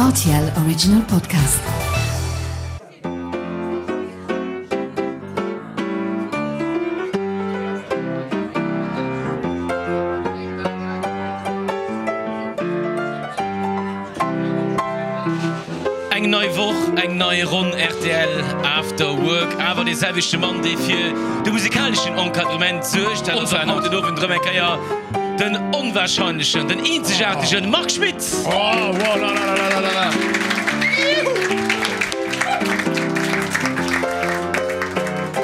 Rtl Original Podcast. Eng nei Woch, eng nei Ronn rtl After Work. Awer dee selwechte Mann, dee fir de musikaleschen Encadrement suergt, dat ass och haut den Owend erëm eng Kéier den onwahrscheinlechen, den eenzegaartegen Marc Schmitt.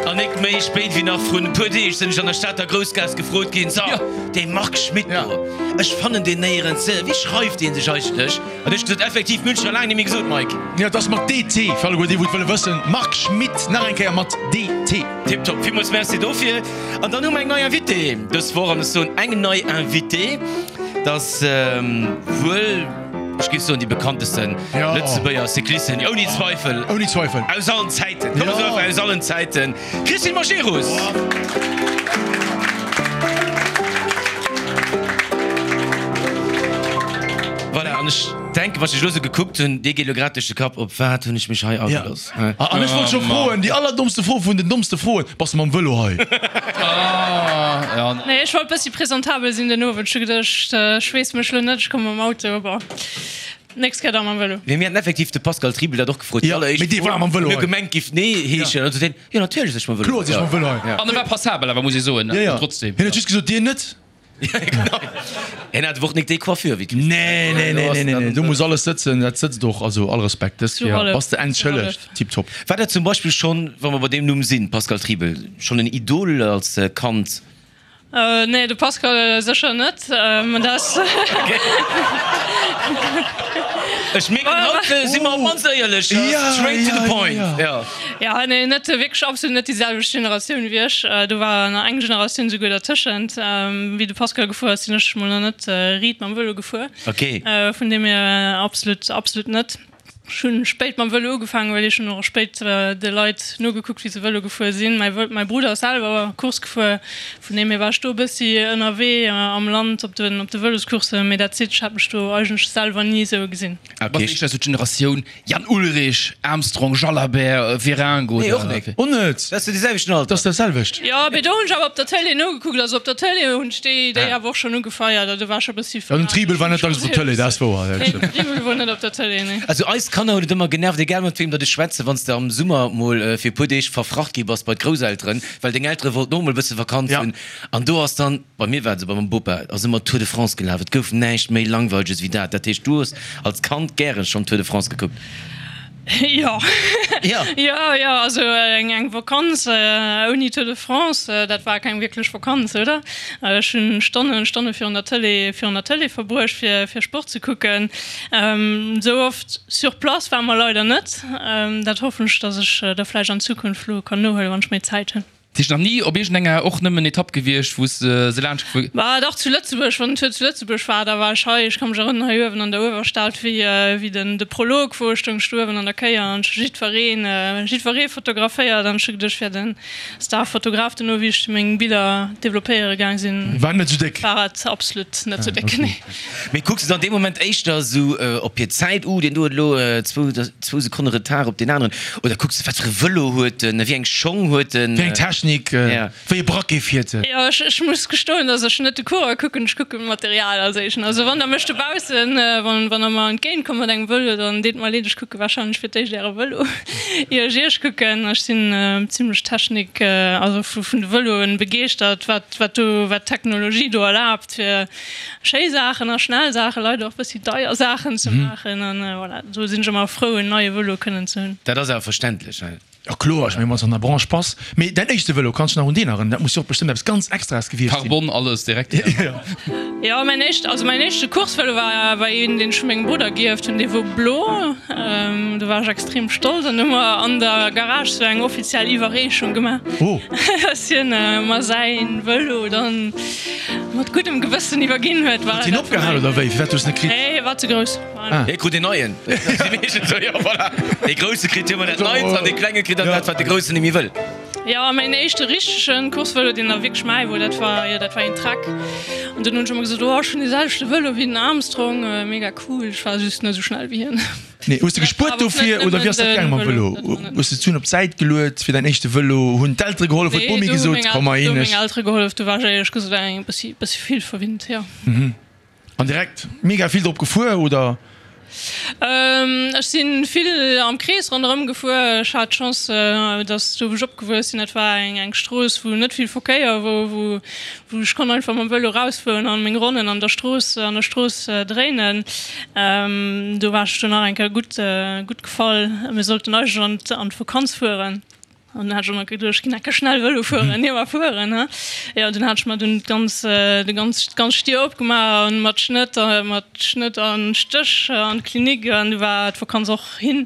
An nik méi spéit wéi nach vrun e puer Deeg sinn ech an der Stater Groussgaass gefrot ginn, So, dee Marc Schmitt do, ech fannen deen néierens, wéi schreift dee sech eigentlech? An ech gesot, effektiv, mir hunn scho laang nemmi gesot, Mike. Jo, et ass mat DT, fir alleguer déi wou et wëlle wëssen, Marc Schmitt, nach eng Kéier mat DT. Tiptop, villmools Merci dofir. An dann hu mer eng nei Invitée dës Woch, an ech soen eng nei Invitée, dat ass wuel, ech géif soen, déi bekanntesten Lëtzebuerger Cyclistin, ouni Zweifel, Ouni Zweifel, aus allen Zäiten, komm mer soen einfach aus allen Zäiten, d'Christine Majerus! Voilà, an ech denken, wann ech dech elo esou gekuckt hunn, dir geet elo grad duerch de Kapp, op wat hunn ech mech hei agelooss? An ech wollt scho froen, déi allerdommste Fro vun den dommste Froen, Bass de mam Vëlo hei? Nee, ech wollt bëssi presentabel sinn den Owend. Ech hu geduecht, ech weess mech lo net, ech komme mam Auto. Bon, nächst Kéier da mam Vëlo. Mee mir haten effektiv de Pascal Triebel dat och gefrot, déi alleréischt Mee dee war mam Vëlo hei. Mir hu gemengt, giff nee heeschen. An du sot hien, Jo, natierlech sinn ech mam Vëlo Kloer sinn ech mam Vëlo hei. An e war passabel awer, muss ee soen. Jo, jo. Trotzdem. Hien huet just gesot, Dir net. Hien hat awer och nik déi Coiffure wéi d'Christine. Nee, nee, nee, nee, nee, nee, do muss alles sëtzen, dat sëtzt och, also all Respekt, dës Kéier bass de entschëllegt, tiptop. War dat zum Beispill schonn, wa mer bei deem Numm sinn, Pascal Triebel, schonn en Idol als Kand? Nee, de Pascal sécher net, dat ass. Ech mierken, haut si mer op mannst éierlech, straight to the point. Jo, nee, net wierklech, absolut net déi selwecht Generatioun wéi ech. Do war nach eng Generatioun souguer dertëschent. Wéi de Pascal gefuer ass, sinn ech mol nach net riit mam Vëlo gefuer. Vun deem hier absolut, absolut net. Ech hunn spéit mam Vëlo ugefaangen, well ech hunn och spéit de Leit nogekuckt, wéi se Vëlo gefuer sinn. Mäi Mäi Brudder ass selwer Course gefuer, vun deem hier war ech do e bëssi ënnerwee am Land op den op de Vëloscourssen, mee that's it, ech hat mech do eigentlech selwer ni esou gesinn. Bass éischter esou d'Generatioun Jan Ullrich, Armstrong, Jalabert, Virengo. Nee, och nik. Och net. Dat ass jo dee selwechten Alter. Dat ass dat selwecht. Jo, mee do hunn ech awer op der Tëlee nogekuckt. Also op der Tëlee hunn ech déi, déi awer och schonn ugefeiert. Also do war ech e bëssi Ja, den Tribel war net dacks op der Tëlee, dat ass wouer. Nee, den Tribel wor net op der Tëlee, nee. Also eis Kanner hunn et ëmmer genervt, egal mat weem datt ech schwätzen, wann s de am Summer mol fir e puer Deeg verfracht gi bass bei d'Grousselteren, well deng Eltere wollten och mol e bësse Vakanz hunn. An do ass dann, bei mir war et esou, bei mengem Bopa ass ëmmer Tour de France gelaf. Et gouf näischt méi Langweileges wéi dat. Dat heescht, du hues als Kand gären schonn Tour de France gekuckt? Jo. Jo. Jo, jo, also eng eng Vakanz ouni Tour de France, dat war keng wierklech Vakanz, oder? Ech hunn Stonnen, Stonne virun der Tëlee, virun der Tëlee verbruecht, fir fir Sport ze kucken. Esou oft sur place ware mer leider net. Dat hoffen ech, datt ech da vläicht an Zukunft elo kann nohuelen, wann ech méi Zäit hunn. Heescht nach ni op iergendenger och nëmmen Etapp gewiescht wou s de se laanscht gefuer. Bah dach zu Lëtzebuerg, wann den Tour zu Lëtzebuerg war, da war ech hei, ech ka mech erënneren hei uewen an der Uewerstad wéi wéi den de Prolog wor, stoung ech do uewen an der Kéier an ech hu jiddwereen jiddweree fotograféiert an ech hu geduecht ech wär den Starfotograf. Dono wéi ech meng Biller developpéiere gaang sinn, War net sou déck. war et absolut net sou déck, nee. Mee kucks de dann dee Moment éischter esou op hir Zäit, uh deen do huet elo zwou Sekonne Retard op deen aneren, oder kucks de wat fir e Vëlo huet en, wéi eng Schong huet en? Wéi eng Technik, wéi e Braquet fiert en? Jo, ech muss gestoen, dass ech net de Coureur kucken, ech kucken d'Material als éischten. Also wann der mech dobaussen, wann der mer entgéint kommt mat engem Vëlo, dann deet mer leed, ech kucke warscheinlech fir d'éischt äre Vëlo ier ech iech kucken. Ech sinn zimlech Technik, also vun de Vëloen begeeschtert, wat wat do, wat d'Technologie do erlaabt fir Schéi Saachen a schnell Saachen, leider och bëssi deier Saachen ze maachen an voilà, do sinn ech ëmmer frou en neie Vëlo kënnen ze hunn. Dat ass awer verständlech, he? Jo kloer, ech mengen wann s de an der Branche bass. Mee däin éischte Vëlo, kanns dech nach un deen erënneren? Dat muss jo och bestëmmt eppes ganz Extraes gewiescht sinn. Carbon, alles direkt. Jo, mäin éischt, also mäin éischte Coursevëlo war war een deen ech vu mengem Brudder gierft hunn, dee wor blo. Do war ech extrem stolz an hu mer an der Garage sou eng offiziell Iwwerreechung gemaach, dass hien mer säin Vëlo dann Mat guddem Gewëssen iwwerginn huet. Huet hien opgehal oder wéi? Firwat hues de net kritt? Nee, hie war ze grouss. Hie krut een neien. Dat ass meeschtens esou, jo, voilà. Dee Grousse kritt ëmmer dat Neits an dee Klenge kritt dann dat, wat de Groussen net méi wëll. Jo, a mäin éischte richtegen Coursevëlo, deen da wierklech mäi wor, dat war, jo, dat war een Trek. An dunn hunn ech ëmmer gesot, oh, ech hunn dee selwechte Vëlo wéi den Armstrong, mega cool. Ech war just net esou schnell wéi hien. Nee, hues de gespuert dofir oder wéi ass dat gaange mam Vëlo? Hues de d'Suen op d'Säit geluet fir däin éischte Vëlo? Hunn d'Eltere gehollef? Huet d'Bomi gesot, komm mar een? Nee, do hu meng Eltere gehollef. Do war ech éierlech gesot eng bëssi, bëssi vill verwinnt, jo. An direkt mega vill drop gefuer, oder? Ech si vill am Krees ronderëm gefuer. Ech hat d'Chance, dass do wou ech opgewuess sinn, dat war eng Strooss wou net vill Verkéier wor, wou wou ech konnt einfach mam Vëlo rausfueren an meng Ronnen an der Strooss an der Strooss dréinen. Do war ech do nach eng Kéier gutt gutt gefall. Mir sollten eigentlech an d'Vakanz fueren. An dunn hat ech och nach geduecht, ech ginn enke schnell Vëlo fueren, jo mar fueren, he. Jo, dunn hat ech mer dunn d'ganz, de ganz, d'ganz Stier opgemaach an mat Schnëtt, mat Schnëtt an Stéch an d'Klinik an du war d'Vakanz och hin.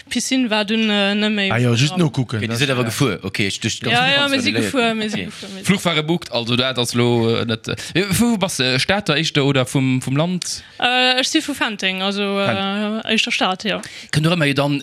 D'Piscine war dunn net méi. Ah jo, just nokucken. Ok, dir sidd awer gefuer, ok, ech duecht d'ganz Vakanz. Jo, jo, mir si gefuer, mir si gefuer, mir si. Fluch war gebookt, also dat ass elo net. Vu wou bass de? Stater éischter oder vum, vum Land? Ech si vu Fenteng, also éischter Stad, jo. Kënnt och ëmmer jo dann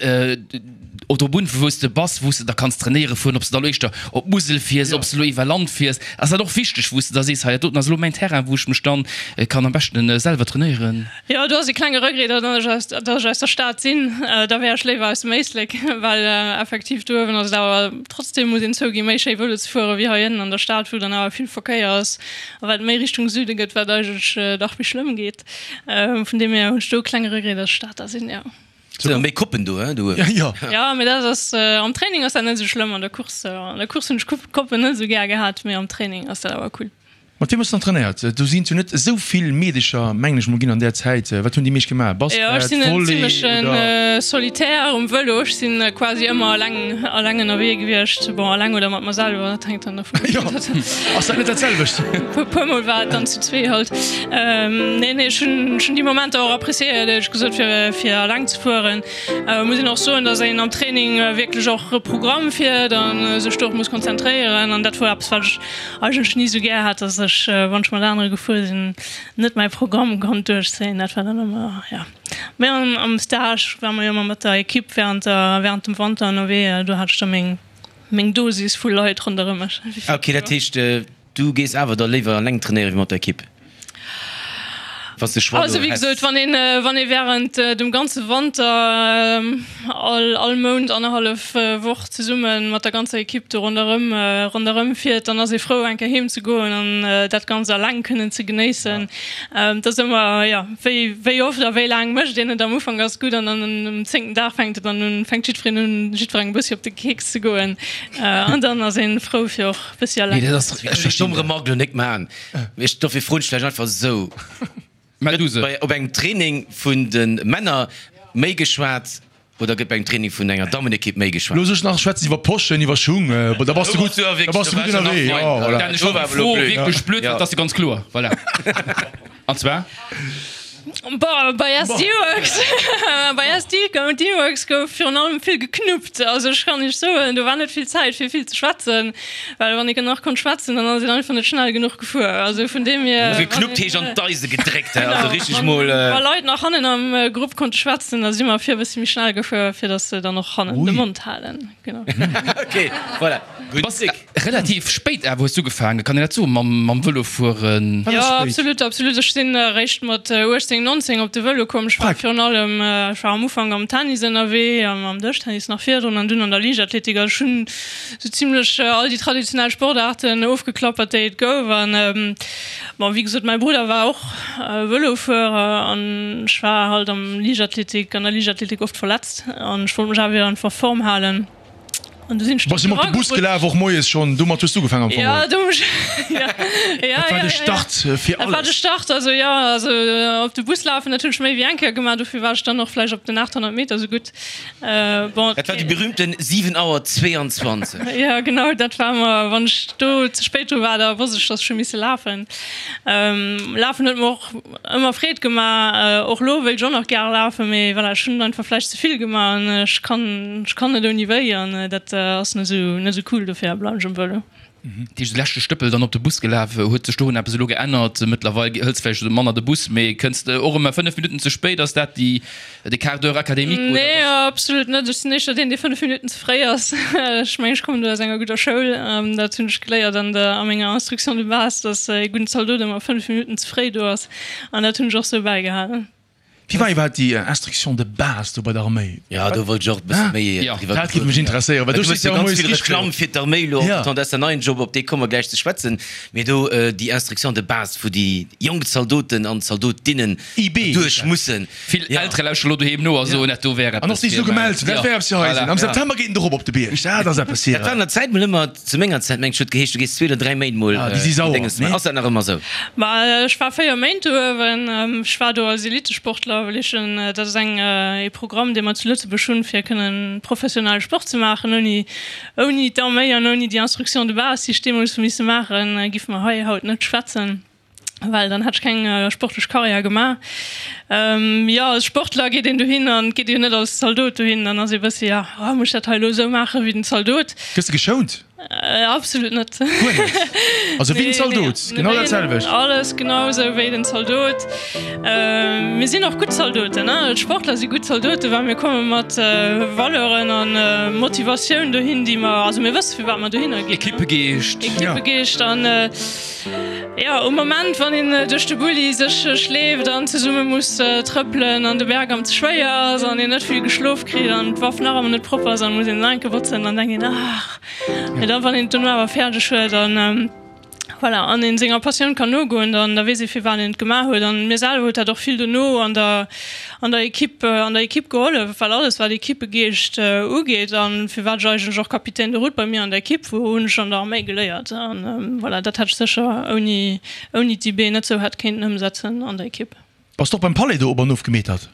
och drop un, vu wou s de bass, wou s de da kanns trainéiere fueren, ob s de da elo éischter op d'Musel fiers, ob s de elo iwwer Land fiers. Ass dat och wichteg, wou s de da sees, hei dat doten ass elo mäin Terrain, wou ech mech dann kann am beschten selwer trainéieren? Jo, do ass e klenge Regret, datt ech aus, datt ech aus der Stad sinn. Da wär ech léiwer aus dem Éislek, well effektiv do uewen ass et awer trotzdem, muss een zouginn, méi schéi Vëlo ze fuere wéi hei ënnen an der Stad, wou dann awer vill Verkéier ass a wat et méi Richtung Süde gëtt, wat eigentlech dach méi schlëmm geet. Vun deem hier hunn ech do e klenge Regret, datt ech Stater sinn, jo. Sinn der méi Koppen do, hein, do uewen. Jo. Jo, mee dat ass, am Training ass dat net esou schlëmm, an der Course, an der Course hunn ech Koppen net esou gär gehat, mee am Training ass dat awer cool. Mat wiem hues de dann trainéiert? Do sinn jo net esou vill Meedecher, mengen ech mol, ginn an där Zäit. Wat hunn déi meescht gemaach? Basket, Volley oder? Jo, ech sinn en zimlechen Solitär um Vëlo. Ech sinn quasi ëmmer eleng, eleng ënnerwee gewiescht. Bon, eleng oder mat mer selwer, dat hänkt dann dovun of. Jo, ass dat net dat selwecht? Puer mol war et dann zu zwee halt. Nee, nee, ech hunn, ech hunn déi Momenter och appréciéiert, éierlech gesot, fir, fir eleng ze fueren. Muss een och soen, dass een am Training wierklech och e Programm fiert a sech do och muss konzentréieren. An dat wor eppes, wat ech eigentlech ni esou gär hat, dass ech, wann ech mat anere gefuer sinn, net mäi Programm konnt duerchzéien. Dat war dann ëmmer, jo. Mee am Stage ware mer jo ëmmer mat der Ekipp während der, während dem Wanter ënnerwee. Do hat ech da meng, meng Dosis vu Leit ronderëm mech. Ok, dat heescht, Du gees awer da léiwer alleng trainéieren wéi mat der Ekipp? Wanns de Choix Also wéi gesot, wann een wann ee während dem ganze Wanter all all Mount annerhallef Woch zesumme mat der ganzer Ekipp do ronderëm ronderëm fiert, dann ass ee frou eng Kéier heem ze goen an dat Ganzt alleng kënnen ze genéissen. Et ass ëmmer, jo, wéi wéi oft a wéi laang mécht een et. Am Ufank ass et gutt an dann um zéngten Dag fänkt et dann un, fänkt jiddwereen un jiddwerengem e bëssi op de Keks ze goen an dann ass ee frou fir och Bëssi alleng. Nee, dat ass, ech verstinn dat. Domm Remark lo nik maan, mee ech, dofir froen ech vläicht einfach esou. Mell du se. Gëtt bei, op engem Training vun de Männer méi geschwat oder gëtt bei engem Training vun enger Dammenekipp méi geschwat? Looss ech nach schwätzen iwwer Poschen, iwwer Schung, bon, da bass de gutt, da bass de gutt ënnerwee, jo, voilà. Dan, ech wollt déi Fro wierklech blöd, dat ass jo ganz kloer, voilà. An zwar? Boah, bei SD-Worx, bei SD-Worx gouf virun allem vill geknuppt. Also ech kann iech soen, do war net vill Zäit fir vill ze schwätzen, well wann ee nach konnt schwätzen, dann ass een einfach net schnell genuch gefuer. Also vun deem hier. Also geknuppt heescht an d'Eise gedréckt, hä? Also richteg mol. Wa Leit nach hannen am Grupp konnte schwätzen, da si mer vir e bëssi méi schnell gefuer, fir datt se dann och hannen de Mond halen. Genau. Ok, voilà. Gutt Tick. Relativ spéit awer hues du ugefaangen, kann een dat soen, mam Vëlo fueren? Jo, absolut, absolut. Ech sinn eréischt mat 18, 19 op de Vëlo komm. Ech war virun allem, ech war am Ufank am Tennis ënnerwee, am Dëschtennis nach virdrun an dunn an der Liichtathletik. Also ech hunn sou zimlech all déi traditionell Sportaarten ofgeklappert, déi et gouf. An bon, wéi gesot, mäi Brudder war och Vëlofuerer an ech war halt am Liichtathletik, an der Liichtathletik oft verletzt an ech wollt mech awer einfach a Form halen. An du sinn ech Bass du mat de Bus gelaf och moies schonn? Domat hues du ugefaangen am Fong? Ja, do ech ja, ja, Dat war de Start fir alles. Dat war de Start, also jo, also op de Bus lafen, dat hunn ech méi wéi eng Kéier gemaach, dofir war ech dann och vläicht op den 800 Meter esou gutt. Bon. Dat war déi berühmten 7 Auer 22. Ja, genau, dat war ëmmer, wann ech do ze spéit dru war, da wosst ech, dass ech hu misse lafen. Lafen huet mer och Ëmmer Freed gemaach. Och lo wéilt ech och nach gäre lafen, mee voilà, ech hunn einfach vläicht ze vill gemaach an ech kann, ech kann net ouni wéi an dat ass net esou, net esou cool, dofir bleiwen ech um Vëlo. Dat heescht, de leschte Stëppel dann op de Bus gelaf. Huet sech dorun eppes elo geännert? Mëttlerweil hëls vläicht manner de Bus, mee kënns de och ëmmer 5 Minutten ze spéit? Ass dat déi, de Quart d'heure académique oder Nee, absolut net. Ech sinn éischter deen, dee 5 Minutten ze fréi ass. Ech mengen, ech kommen do aus enger gudder Schoul. Dat hunn ech geléiert an der, a menger Instruction de base, dass ee gudden Zaldot ëmmer 5 Minutten ze fréi do ass. An dat hunn ech och sou bäigehalen. Wéi war iwwerhaapt déi Instruction de base do bei der Arméi? Jo, do wollt ech och e bësse méi driwwer Dat géif mech interesséieren, well do steet jo ganz vill Reklamm fir d'Arméi elo entretemps. Dat ass däin neien Job, op dee komme mer gläich ze schwätzen. Mee do déi Instruction de base, wou déi jonk Zaldoten an Zaldotinnen duerch mussen. Vill Eltere lauschteren elo doheem no a soen, dat do wär eppes fir. An och déi sech elo gemellt hunn, dat wär eppes fir eis. Am September geet en erop op de Bierg, dat ass eppes fir. Dat war an der Zäit mol ëmmer. Zu menger Zäit, mengt ech, huet geheescht, du gees zwee oder dräi Méint mol Ah, déi si sauer, Dénges maachen. nee? Ass dat nach ëmmer sou? Ma ech war 4 Méint do uewen. Ech war do als Elitesportler, well ech en, dat ass eng, ee Programm, dee mer zu Lëtzebuerg hunn, fir kënnen professionell Sport ze maachen. Ouni, ouni d'Arméi an ouni déi Instruction de base, déi ech deemools hu misse maachen, giffe mer hei haut net schwätzen. Well dann hätt ech keng sportlech Karriär gemaach. Jo, als Sportler geet een dohin an et geet ee jo net als Zaldot dohin. Dann ass ee bëssi, jo, oh, muss ech dat hei elo esou maache wéi den Zaldot? Gëss de geschount? Absolut net. Guer net? Also wéi den Zaldot, genau dat selwecht? Alles genau esou wéi den Zaldot. Mir sinn och gutt Zaldoten, ne? D'Sportler si gutt Zaldoten, well mir komme mat Valeuren a Motivatioun dohin, déi mer, also mir wësse firwat mer dohinner ginn. Equippegeescht. Equippegeescht an. Jo, um Moment wann een duerch de Bulli sech schleeft an zesumme muss trëppelen an de Berg am ze schwéier ass an een net vill geschlof kritt an d'Waff nach ëmmer net propper ass an muss een nach enke botzen, dann denkt een ach. Mee dann wann een et dono awer fäerdeg huet an voilà an een senger Passioun kann nogoen, dann da weess ee firwat een et gemaach huet. An mir selwer huet dat och vill dono an der an der Equipe an der Equipe gehollef, well alles wat Equipegeescht ugeet an firwat ech eigentlech och Capitaine de route bei mir an der Equipe wor, hunn ech an der Arméi geléiert an voilà, dat hätt ech sécher ouni ouni d'IB net sou hätt kéinten ëmsetzen an der Equipe. Bass de och beim Palais do op an of gemetert?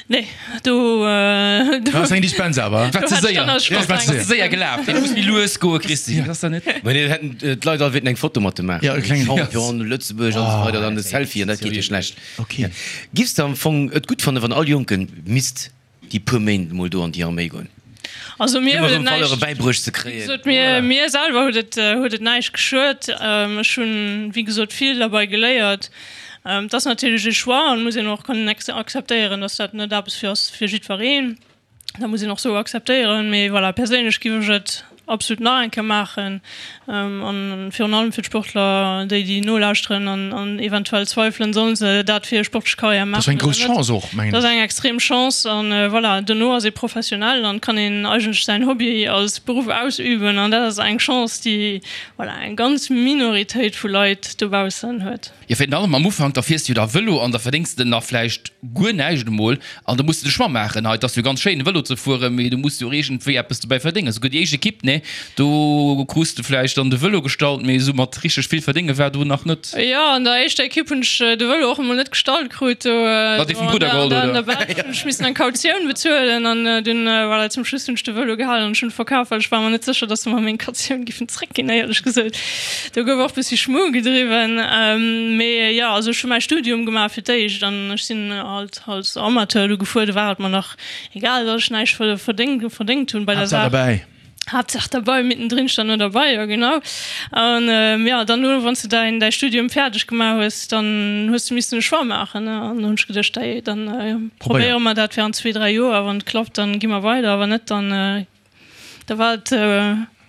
Nee, do do Ass eng Dispens awer. War ze séier, war ze séier gelaf. Dee muss méi lues goe Christine, ass dat net? Mä mir hätten d'Leit all wéilten eng Foto mat dem maachen. Ja, e klengen Champion Lëtzebuerg an esou weider, dann e Selfie an dat geet jo schlecht. Ok. Giffs de am Fong et gutt fannen, wann all Jonken misst déi puer Méint mol do an déi Arméi goen? Also mir huet et näischt bäibruecht ze kréien. Wéi gesot, mir, mir selwer huet et, huet et näischt geschuet. Ech hunn, wéi gesot, vill derbei geléiert. Et ass natierlech ee Choix an muss een och kënnen akzeptéieren, dass dat net eppes fir ass fir jiddwereen. Dat muss een och sou akzeptéieren. Mee voilà, perséinlech giff ech et absolut nach eng Kéier maachen. An virun allem fir d'Sportler, déi déi nolauschteren an an eventuell zweifelen, sollen se dat fir hir sportlech Karriär maachen oder net. Dat ass eng grouss Chance och, mengen ech. Dat ass eng extrem Chance. An voilà, dono ass ee professionell an kann een eigentlech säin Hobby als Beruff ausüben. An dat ass eng Chance, déi voilà eng ganz Minoritéit vu Leit dobaussen huet. Jo, virun allem am Ufank, da fiers de jo da Vëlo an da verdéngs de nach vläicht guer näischt emol an da muss de de Choix maachen. Hei, et ass jo ganz schéin Vëlo ze fueren, mee du muss jo och iergendwéi eppes dobäi verdéngen. Esouguer déi éischt Ekipp, nee, do krus de vläicht dann de Vëlo gestallt, mee esou mat richteg vill verdénge war do nach net. Jo, an der éischter Ekipp hunn ech de Vëlo och emol net gestallt krut. Do Hat dee vum Brudder geholl, oder? An der Belsch hunn ech missen eng Kautioun bezuelen an dunn, voilà, zum Schluss hunn ech de Vëlo gehalen an ech hunn e verkaf, well ech war mer net sécher, dass se mer meng Kautioun giffen zréckginn, éierlech gesot. Do gouf och bëssi Schmu gedriwwen. Mee jo, also ech hu mäi Studium gemaach fir d'éischt an ech sinn halt als Amateur do gefuer. Do war et mer nach egal, datt ech näischt verdéngt verdéngt hunn bei der Haaptsaach Saach. derbäi. Haaptsaach derbei, mittendrin stand nur dabei, jo genau. An jo, dann elo wann s de däin däi Studium fäerdeg gemaach hues, dann hues de missen e Choix maachen, ne. An do hunn ech geduecht, dei dann Probéier. probéiere mer dat während zwee, dräi Joer, wann et klappt, dann gi mer weider, wann net, dann da war et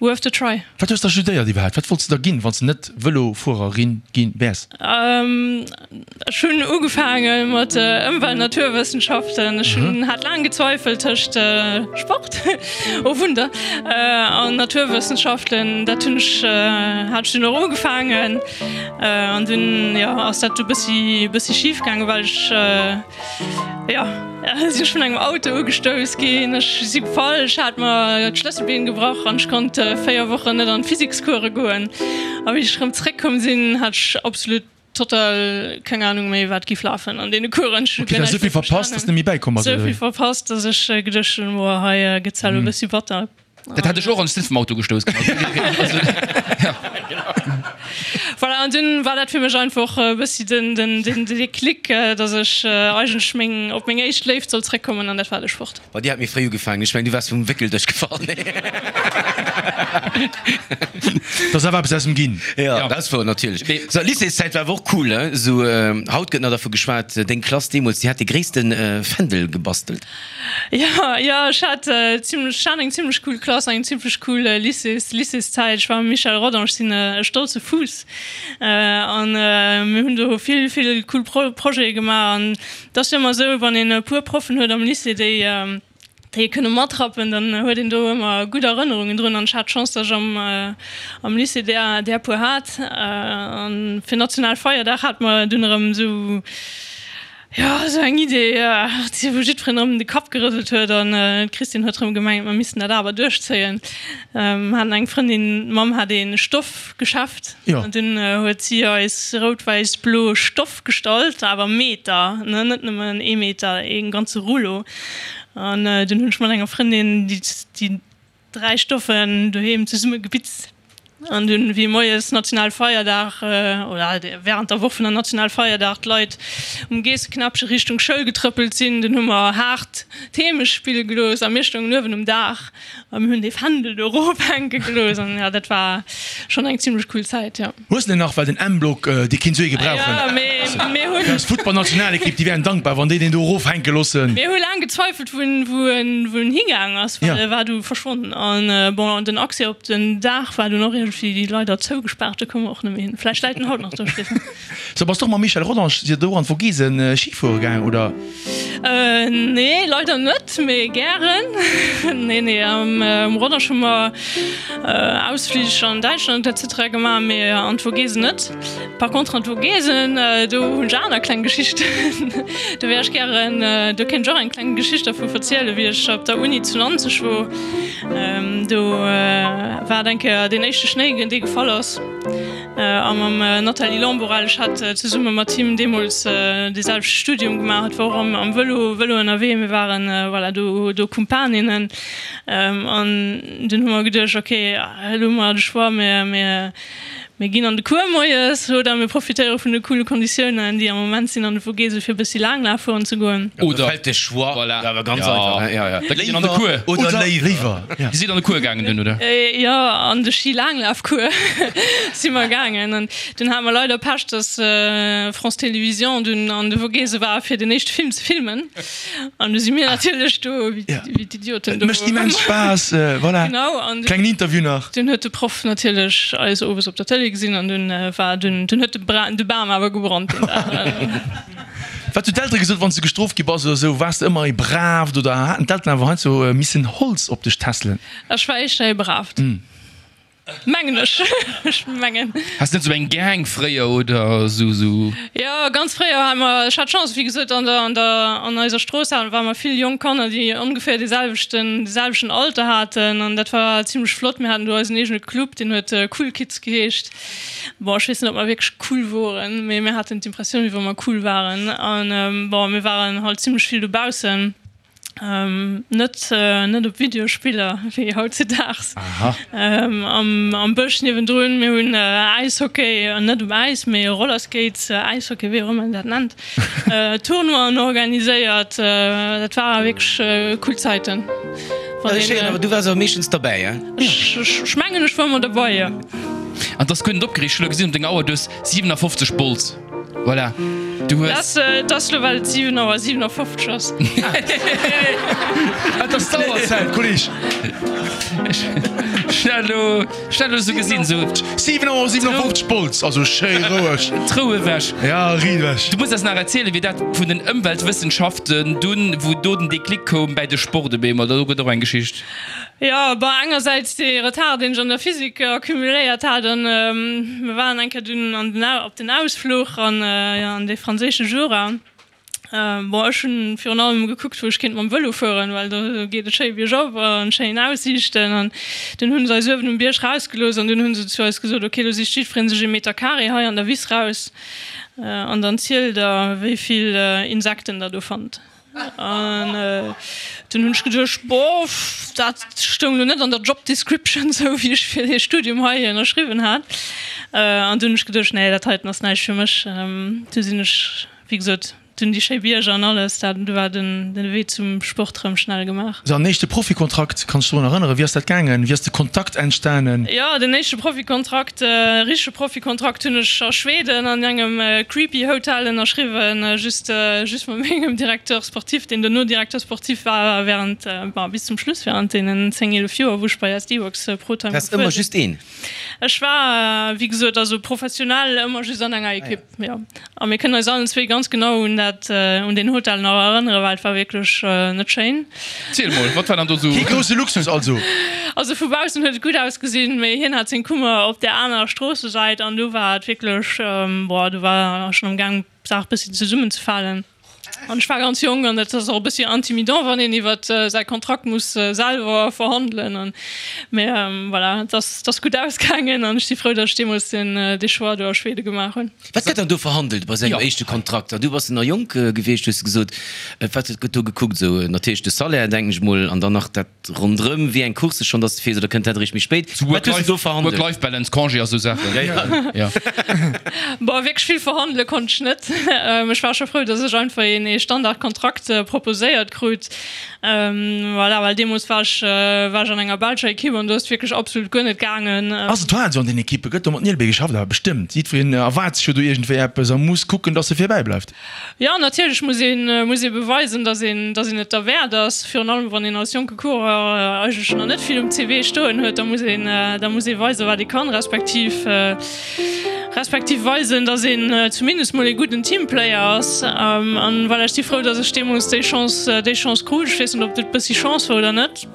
Worth the try. Wat hues da studéiert iwwerhaapt? Wat wollts de da ginn, wann s de net Vëlofuererin gi wäers? Ech hunn ugefaange mat Ëmwelt Naturwëssenschaften. Ech hunn hat laang gezweifelt tëscht Sport, oh Wunder, an Naturwëssenschaften. Dat hunn ech hat ech dunn och ugefaangen an dunn, jo, ass dat du bëssi bëssi schif gaangen, well ech, Jo, sinn ech vun engem Auto ugestouss ginn. Ech si gefall, ech hat mer d'Schlësselbeen gebrach an ech konnt 4 Wochen net an d'Physikscourse goen. A wéi ech erëm zréckkomm sinn, hat ech absolut total keng Anung méi, wat giff lafen an deene Coursen. Ech hu guer näischt méi verstanen. Esou vill verpasst, dass ech geduecht hunn, Boah, hei gëtt elo e bëssi batter. Dat hat ech och an ech sinn vum Auto gestouss ginn. Voilà, an dunn war dat fir mech einfach e bëssi den, den, den Déclic, dass ech eigentlech meng, op meng éischt Léift sollt zréckkommen an dat war de Sport. Bei dir hat méi fréi ugefaangen, ech mengen du waars vum Wéckeldësch gefall. Et ass awer eppes aus em ginn. Jo, dat wor natierlech. Sou, Lycéeszäit war awer och cool, he? Sou, haut gëtt nach dervu geschwat, deng Klass deemools, déi hat de gréisste Fändel gebastelt. Jo, jo, ech hat zimlech, ech hat eng zimlech cool Klass an eng zimlech cool Lycées, Lycéeszäit. Ech war mam Michel Rodange, ech sinn e stolze Fuuss an mir hunn do vill, vill cool Projete gemaach an Et ass jo ëmmer esou, wann een e puer Proffen huet am Lycée, déi déi ee kënne matrappen, dann huet een do ëmmer gutt Erënnerungen drun. An ech hat d'Chance, datt ech am am Lycée där där puer hat. An fir Nationalfeierdag hate mer dunn erëm esou, jo, esou eng Idee, wou jiddwereen erëm de Kapp gerëselt huet. An d'Christine huet erëm gemengt, mer missten dat awer duerchzéien. Mer haten eng Frëndin, d'Mamm hat ee Stoffgeschäft. An dunn huet si eis rout-wäiss-blo Stoff Gestallt, awer Meter, ne, net nëmmen ee Meter, ee ganze Rullo. An dunn hunn ech mat enger Frëndin déi déi 3 Stoffen doheem zesumme gebitzt. An dunn, wéi moies Nationalfeierdag, oder während der Woch vun der Nationalfeierdag, d'Leit um Geesseknäppche Richtung Schoul getrëppelt sinn, dunn hu mer haart d'Heemecht spille gelooss a mir stoungen uewen um Daach a mir hunn dee Fändel do erophänke gelooss. An jo, dat war schonn eng zimmlech cool Zäit, jo. Hues de nach, well den M-Block, dee kinnt sou ee gebrauchen. Ja, mee mir hunn. Eis Futtballnationalekipp, déi wären dankbar, wann déi deen do erofhänke loossen. Mir hu laang gezweifelt, wou en, wou en, wou en higaang ass, well e war du verschwonnen. An bon, den Accès op den Daach war dunn och iergendwéi leider zougespaart, do koum mer och net méi hin. Vläicht läit en haut nach do, Stefan. So, bass de och mam Michel Rodange sidd der do an d'Vogesen Ski fuere gaang, oder? Nee, leider net, mee gären. Nee, nee, am Rodange hu mer Ausflich an Däitschland etc. Gemaach, mee an d'Vogesen net. Par contre an d'Vogesen, do hunn ech aner kleng Geschichten. Do wär ech gären, do kéint ech och eng kleng Geschicht dervu verzielen, wéi ech op der Uni zu Nanzeg wor. Do war et eng Kéier deen éischte Schnéi, dee gefall ass. A mam Nathalie Lamborelle, ech hat zesumme mat him deemools dee selwechte Studium gemaach, et war och am Vëlo, Vëlo ënnerwee, mir waren, voilà, do do Kumpaninnen. An dunn hu mer geduecht, ok, elo hu mer de Choix, mir mir mir ginn an de Cours moies oder mir profitéiere vun de coole Konditiounen, déi am Moment sinn an de Vogese fir e bëssi Laanglaf fueren ze goen. Oder fält de Choix voilà. awer ganz einfach, ja, ja. Da geet een an de Cours. Oder léiwer. Dir sidd an de Cours gaangen dunn, oder? Jo, an de Schi-Laanglaf-Cours si mer gaangen. An dunn hate mer leider Pech, dass France Télévisions dunn an de Vogese war, fir den éischte Film ze filmen. An du si mir natierlech do wéi d'Idioten do. Et mécht immens Spaass, voilà. Genau. An Klengen Interview nach. Dunn huet de Proff natierlech eis owes op der Tëlee gesinn an dunn war dunn, dunn huet de Bam awer gebrannt deen Dag. Wat hunn d'Eltere gesot, wann s de gestrooft gi bass oder esou? Waars de ëmmer ee Braavt oder haten d'Elteren awer heiansdo missen Holz op dech tässelen? Ech war éischter ee Braavt, mengen ech. Ech mengen. Has de net esou eng Gang fréier oder esou esou? Jo, ganz fréier hate mer, ech hat d'Chance, wéi gesot, an der, an der, an eiser Strooss hate, ware mer vill jonk Kanner, déi ongeféier dee selwechten, dee selwechten Alter haten an dat war zimlech flott. Mir haten do eisen eegene Club, deen huet Cool Kids geheescht. Bon, ech weess net, ob mer wierklech cool woren, mee mir haten d'Impressioun, wéi wa mer cool waren. An bon, mir waren halt zimlech vill dobaussen, net net op Videospiller wéi hautzedaags. Am am Bësch niewendrun, mir hunn Äishockey, net um Äis, mee Rollerskates, Äishockey, wéi och ëmmer een dat nennt, Tournoien organiséiert. Dat ware wierklech cool Zäiten. Schéin, awer du waars awer meeschtens derbäi, hein? Ech mengen, ech war ëmmer derbei, jo. An 't ass guer net opgereegt, ech hu lo gesinn op denger Auer, du hues 57 Bols. Voilà, du hues. Dat ass lo well et 7 Auer 57 ass. Et ass d'Auerzäit, Kolleg. Ech hat lo, ech hat lo sou gesinn, sou. 7 Auer 57 Bols, also schéi roueg. D'Rou ewech. Ja, riit ewech. Du muss eis nach erzielen, wéi dat vun den Ëmweltwëssenschaften dunn, wou do den Déclic koum bäi de Sport op eemol, do gëtt och eng Geschicht. Jo, bon, engersäits dee Retard, deen ech an der Physik accumuléiert hat, an mir waren eng Kéier dunn an den, op den Ausfluch an, an dee franséische Jura. Bon, ech hunn virun allem gekuckt, wou ech kéint mam Vëlo fueren, well do geet et schéi biergop an schéin Aussiichten. An dunn hunn se eis uewen um Bierg rausgelooss an dunn hunn se zu eis gesot, ok, lo sicht jiddweree sech ee Meter Carré hei an der Wiss raus an dann zielt der, wéi vill Insekten der do fannt. An dunn hunn ech geduecht, boah, Dat stoung lo net an der Job Description, sou wéi ech fir dee Studium hei ënnerschriwwen hat. An du hunn ech geduecht, nee, dat heiten ass näischt fir mech. Du sinn ech, wéi gesot, dunn déi schéi Bierger an alles, dat, du war den de Wee zum Sport rëm schnell gemaach. Sou, an éischte Profikontrakt, kanns du dech drun erënneren? Wéi ass dat gaangen? Wéi ass de Kontakt entstanen? Jo, den éischte Profikontrakt, richtege Profikontrakt hunn ech a Schweden an engem creepy Hotel ënnerschriwwen, just just mat mengem Directeur sportif, deen dono Directeur sportif war während, bon, bis zum Schluss, während deenen 10, 11 Joer, wou ech bei SD Worx Protime Waars gefuer ëmmer sinn. just een? Ech war, wéi gesot, also professionell ëmmer just an enger Ekipp, jo. A mir kënnen eis allen zwee ganz genau un dat, un deen Hotel nach erënneren, well et war wierklech net schéin. Ziel mol, wat war dann do sou? Kee grousse Luxus also? Also vu baussen huet et gutt ausgesinn, mee hien hat seng Kummer op där anerer Stroossesäit an do war et wierklech, boah, do war schonn am Gaang d'Saach bëssi zesummenzefalen. An ech war ganz jonk an dat ass och e bëssi intimidant, wann een iwwer säi Kontrakt muss selwer verhandelen. An, mee voilà, et ass, et ass gutt ausgaangen an ech si frou, datt ech deemools den, dee Choix do a Schwede gemaach hunn. Wat gëtt dann do verhandelt bei sou engem éischte Kontrakt? Du bass nach jonk gewiescht, hues de gesot. Wat gëtt do gekuckt? Esou natierlech de Salaire, denken ech mol, an dann nach dat ronderëm, wéi eng Coursse schonn dass de fiers, oder kënnt dat eréischt méi spéit? Sou Wat hues de do verhandelt? Work-Life-Balance, Congé a sou Saachen. Ja, ja. Bon, wierklech vill verhandele konnt ech net. Ech war scho frou, dass ech einfach een ee Standardkontrakt proposéiert krut. Voilà, well deemools war ech, war ech an enger belscher Ekipp an do ass et wierklech absolut guer net gaangen. Ass et war esou an den Ekippe? Gëtt do mat Nielbee geschafft? Awer bestëmmt. Jiddwereen erwaart sech jo do iergendwéi eppes a muss kucken, dass e virbäi bleift. Jo, natierlech muss een, muss ee beweisen, dass een, dass een et derwäert ass. Virun allem wann een als jonke Coureur eigentlech nach net vill um CV stoen huet, da muss een, da muss ee weisen, wat ee kann, respektiv, respektiv weisen, dass een zumindest mol ee gudden Teamplayer ass. An voilà, ech si frou, dass ech deemools déi Chance, déi Chance krut. Ech weess net, ob et e bëssi Chance war oder net.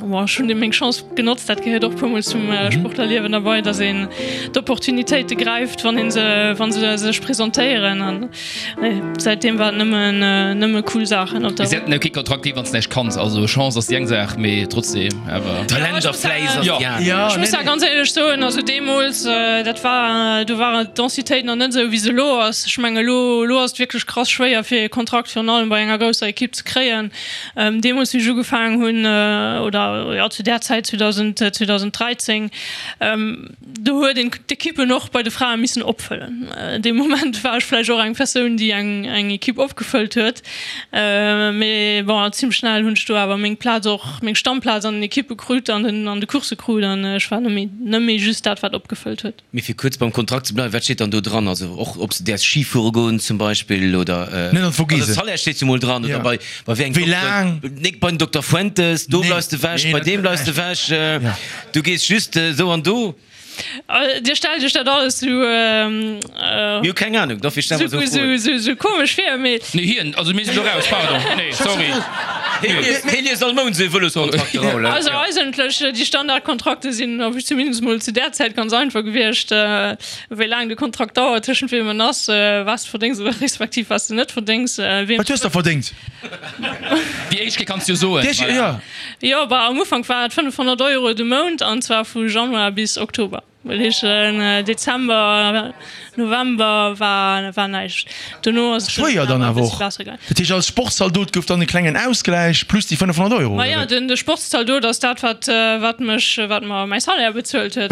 Bon, ech hunn meng Chance genotzt, dat gehéiert och puermol zum Sportlerliewen derbei, datt een d'Opportunitéite gräift, wann een se, wa se sech presentéieren. An nee, säitdeem war et nëmmen, nëmme cool Saachen op der. Mee se hätten jo kee Kontrakt ginn, wann s de näischt kanns. Also Chance ass déi eng Saach, mee trotzdeem awer. Talent a Fläiss ass déi aner. Ech muss awer ganz éierlech soen, also deemools, dat war, do war d'Densitéit nach net esou wéi se elo ass. Ech mengen elo, elo ass et wierklech krass schwéier fir ee Kontrakt virun allem bei enger grousser Ekipp ze kréien. Deemools wéi ech ugefaangen hunn, oder jo zu där Zäit 2000, 2013, do huet een d'Ekippen och bei de Frae missen opfëllen. Dee Moment war ech vläicht och eng Persoun, déi eng eng Ekipp opgefëllt huet. Mee bon, zimmlech schnell hunn ech do awer meng Plaz och, meng Stammplaz an den Ekippe krut an den an de Coursse krut an ech war net méi net méi just dat wat opgefëllt huet. Mee fir kuerz beim Kontrakt ze bleiwen, wat steet dann do dran? Also och ob se däerfs Ski fuere goen zum Beispill oder? Net an d'Vogesen. Also Salaire steet jo mol dran oder bei bei wéi engem Wéi laang? Nik bei den Dokter Fuentes, do bleiws de wech, bei deem bleiws de wech, du gees just esou an do. Dir stellt iech dat alles sou. Mir hu keng Ahnung, dofir stelle mer esou Froen. Sou komesch vir, mee. Nee, hien, also mir sinn do raus, pardon, nee, sorry. Hie liest all Mount esou ee Vëloskontrakt, de Raoul. Also eigentlech, déi Standardkontrakte sinn, zumindest mol zu där Zäit, ganz einfach gewiescht, wéi laang de Kontrakt dauert, tëschent weem en ass, wat s de verdéngs oder respektiv wat s de net verdéngs. Wat hues de verdéngt? Déi éischt Kéier kanns de jo soen. Déi éischt Kéier, jo. Jo, bah, am Ufank war et 500 Euro de Mount, an zwar vu Januar bis Oktober. Well heeschen Dezember, November war war näischt. Dono ass et Schwéier dann awer och. besser gaangen. Dat heescht als Sportszaldot gouf dann e klengen Ausgläich plus déi 500 Euro, Ma oder jo, wéi? de Sportszaldot ass dat wat wat mech wat mer mäi Salaire bezuelt huet.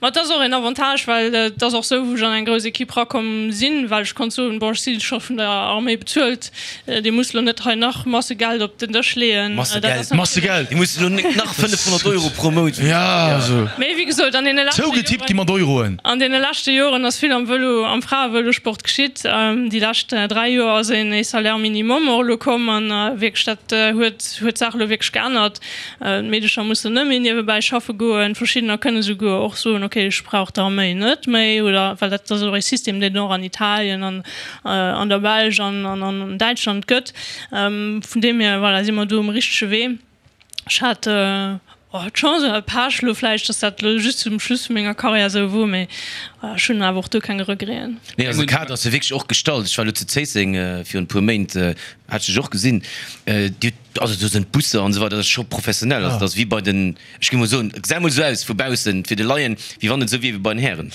Ma et ass och een Avantage, well et ass och sou wou ech an eng grouss Equipe rakomm sinn, well ech konnt soen, bon ech si scho vun der Arméi bezuelt, Dir musst elo net hei nach Masse Geld op den Dësch leeën. Masse Geld. Masse Geld. Dir musst elo net nach 500 Euro pro Mount. Ja, also. Mee wéi gesot, an deene leschte Zougetippt gi mat Euroen. An deene leschte Joren ass vill am Vëlo, am Fraevëlosport geschitt. Déi lescht 3 Joer ass een ee Salaire minimum och elo komm an wierklech dat huet huet d'Saach elo wierklech geännert. D'Meedecher mussen net méi niewebäi schaffe goen. Verschiddener kënne souguer och soen, okay, ech brauch d'Arméi net méi oder well dat ass och ee System, deen et och an Italien an an der Belsch an an Däitschland gëtt. Vun deem hier, voilà, si mer do um richtege Wee. Ech hat d'Chance oder Pech elo vläicht, datt dat elo just zum Schluss vu menger Karriär esou wor, mee. Ech hunn awer och do keng Regreten. Nee, also de Kader ass jo wierklech och gestallt. Ech war elo zu Zéisseng virun e puer Méint, hat ech dech och gesinn. Dir hutt, also do sinn d'Busser an esou weider, dat ass scho professionell. Also dat ass wéi bei den, ech géing mol soen, et gesäit mol esou aus vu baussen fir de Laien, wéi wann et esou wier wéi bei den Hären.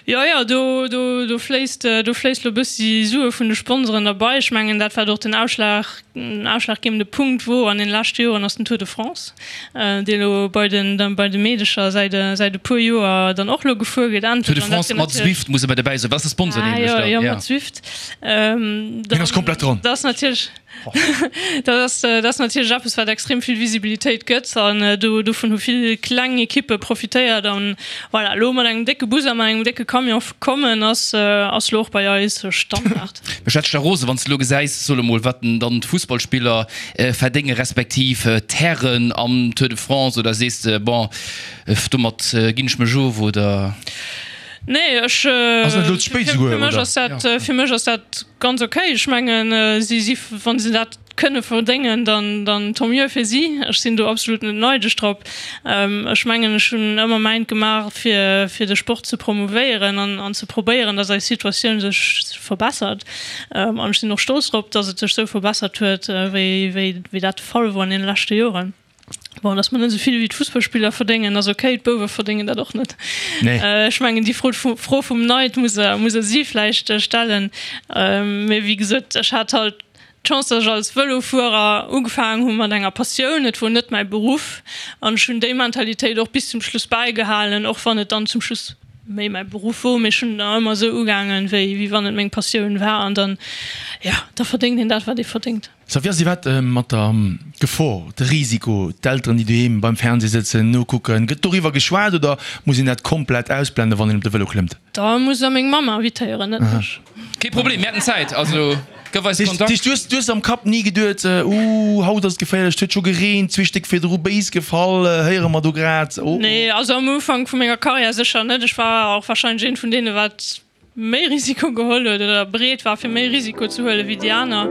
Jo, jo, do, do, do fléisst, do fléisst elo e bëssi Sue vun de Sponsoren derbei. Ech mengen, dat wat och den Ausschlag, den ausschlaggebende Punkt wor an den leschte Joren, ass den Tour de France. Dee lo bei den bei de Meedecher säit säit e puer Joer dann och lo gefuer gëtt endlech. Tour de France mat Zwift muss e bei dobäi soen, dat ass de Sponsor nämlech dann. Jo, mat Zwift. Hien ass komplett dran. Dat ass natierlech dat ass dat ass natierlech eppes wat extrem vill Visibilitéit gëtt an do dovun hu vill kleng Ekippe profitéiert an voilà, elo mat engem décke Bus a mat engem décke Camion kommen ass ass lo och bei eis Standard. Mech hätt da rose wann s de lo gesäis, soe mol, wat dann d'Fussballspiller verdénge respektiv d'Hären am Tour de France oder sees de, bon, domat ginn ech mech of oder? Nee, ech, Ass net elo ze spéit souguer, oder? Fir mech ass dat ganz ok. Ech mengen, si si, wa se dat kënne verdéngen, dann, dann tant mieux fir si. Ech sinn do absolut net neidesch drop. Ech mengen, ech hunn ëmmer mäint gemaach, fir, fir de Sport ze promouvéieren an, an ze probéieren, dass eis Situatioun sech verbessert. An ech sinn och stolz drop, dass et sech esou verbessert huet, wéi, wéi, wéi dat de Fall wor an deene leschte Joren. Bon, dass mer net esou vill wéi d'Fussballspiller verdéngen, ass ok. D'Bouwe verdéngen dat och net. Nee. Ech mengen, déi Fro, Fro vum Neid muss Der, muss Der si vläicht stellen. Mee wéi gesot, ech hat halt d'Chance, dass ech als Vëlofuerer ugefaangen hu mat enger Passioun. Et wor net mäi Beruff an ech hunn déi Mentalitéit och bis zum Schluss bäigehalen, och wann et dann zum Schluss méi mäi Beruff wor. Mee ech hunn da ëmmer esou ugaangen, wéi wéi wann et meng Passioun war an dann, jo, da verdéngt een dat, wat ee verdéngt. Sou, wéi ass iwwert mat der Gefor, de Risiko, d'Elteren, déi doheem beim Fernseh sëtzen, nokucken? Gëtt doriwwer geschwat oder muss een dat komplett ausblenden, wann een op de Vëlo klëmmt? Da musst der meng Mamm invitéieren, net mech. Kee Problem, mir hätten Zäit, also gëff eis Kontakt. Du hues, du hues am Kapp ni geduet, Ooh, haut ass et geféierlech, et huet scho gereent, zwee Stéck virdru béis gefall, héiere mer do grad, oh oh. Nee, also am Ufank vu menger Karriär sécher net. Ech war och warscheinlech eent vun deene wat méi Risiko geholl huet oder bereet war fir méi Risiko ze huele wéi déi aner.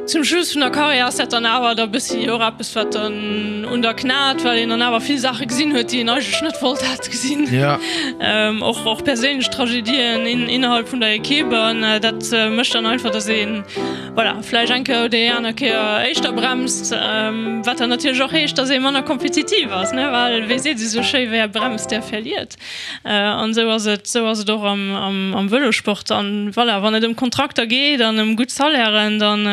Zum Schluss vun der Karriär ass dat dann awer da bëssi och eppes wat dann un der knat, well een dann awer vill Saache gesinn huet, déi een eigentlech net wollt hat gesinn. Och och perséinlech Tragedien innerhalb vun der Equipe an dat mécht dann einfach, datt een, voilà, vläicht eng Kéier oder déi aner Kéier éischter bremst, wat dann natierlech och heescht, datt ee manner kompetitiv ass, ne, well wéi seet ee sou schéi, Wer bremst, der verliert. An esou ass et, esou ass et och am Vëlosport. An voilà, wann et ëm Kontrakter geet an ëm gutt Salairen, dann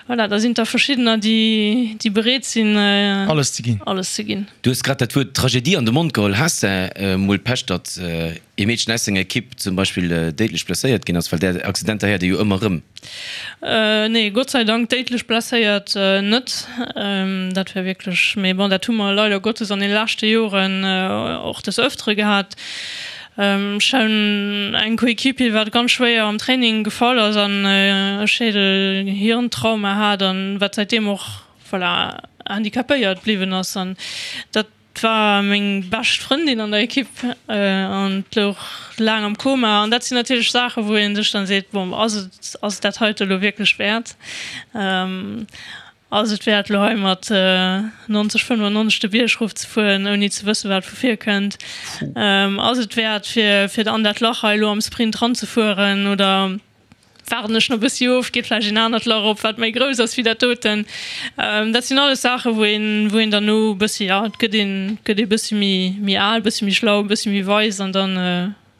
voilà, da sinn et der verschiddener, déi, déi bereet sinn, Alles ze ginn. alles ze ginn. Du hues grad dat Wuert Tragedie an de Mond geholl. Has de mol Pech, datt ee Meedchen aus denger Ekipp zum Beispill déidlech blesséiert ginn ass? Well där Accidenter héiert ee jo ëmmer erëm. Nee, Gott sei Dank déidlech blesséiert net. Dat wär wierklech, mee bon, dat hu mer leider Gottes an de leschte Joren och des Öftere gehat. Ech hunn eng Coéquipier, wat ganz schwéier am Training gefall ass an e Schädel-Hirn-Trauma hat an wat säitdeem och, voilà, handicapéiert bliwwen ass. An dat war meng bescht Frëndin an der Ekipp an louch laang am Koma. An dat sinn natierlech Saachen, wou ee sech dann seet, bon, ass et, ass et dat heite elo wierklech wäert? Ass et wäert, elo hei mat 90, 95 de Bierg erof ze fueren, ouni ze wëssen, wat vu vir kënnt? Ass et wäert, fir, fir an dat Lach hei elo am Sprint ranzefueren oder? Waarden ech nach bëssi of, geet vläicht een anert Lach op, wat méi grouss ass wéi dat doten. Dat sinn alles Saachen, wou een, wou een dann no bëssi, ja, et gëtt een, gëtt ee bëssi méi, méi al, bëssi méi schlau, bëssi méi weis an dann,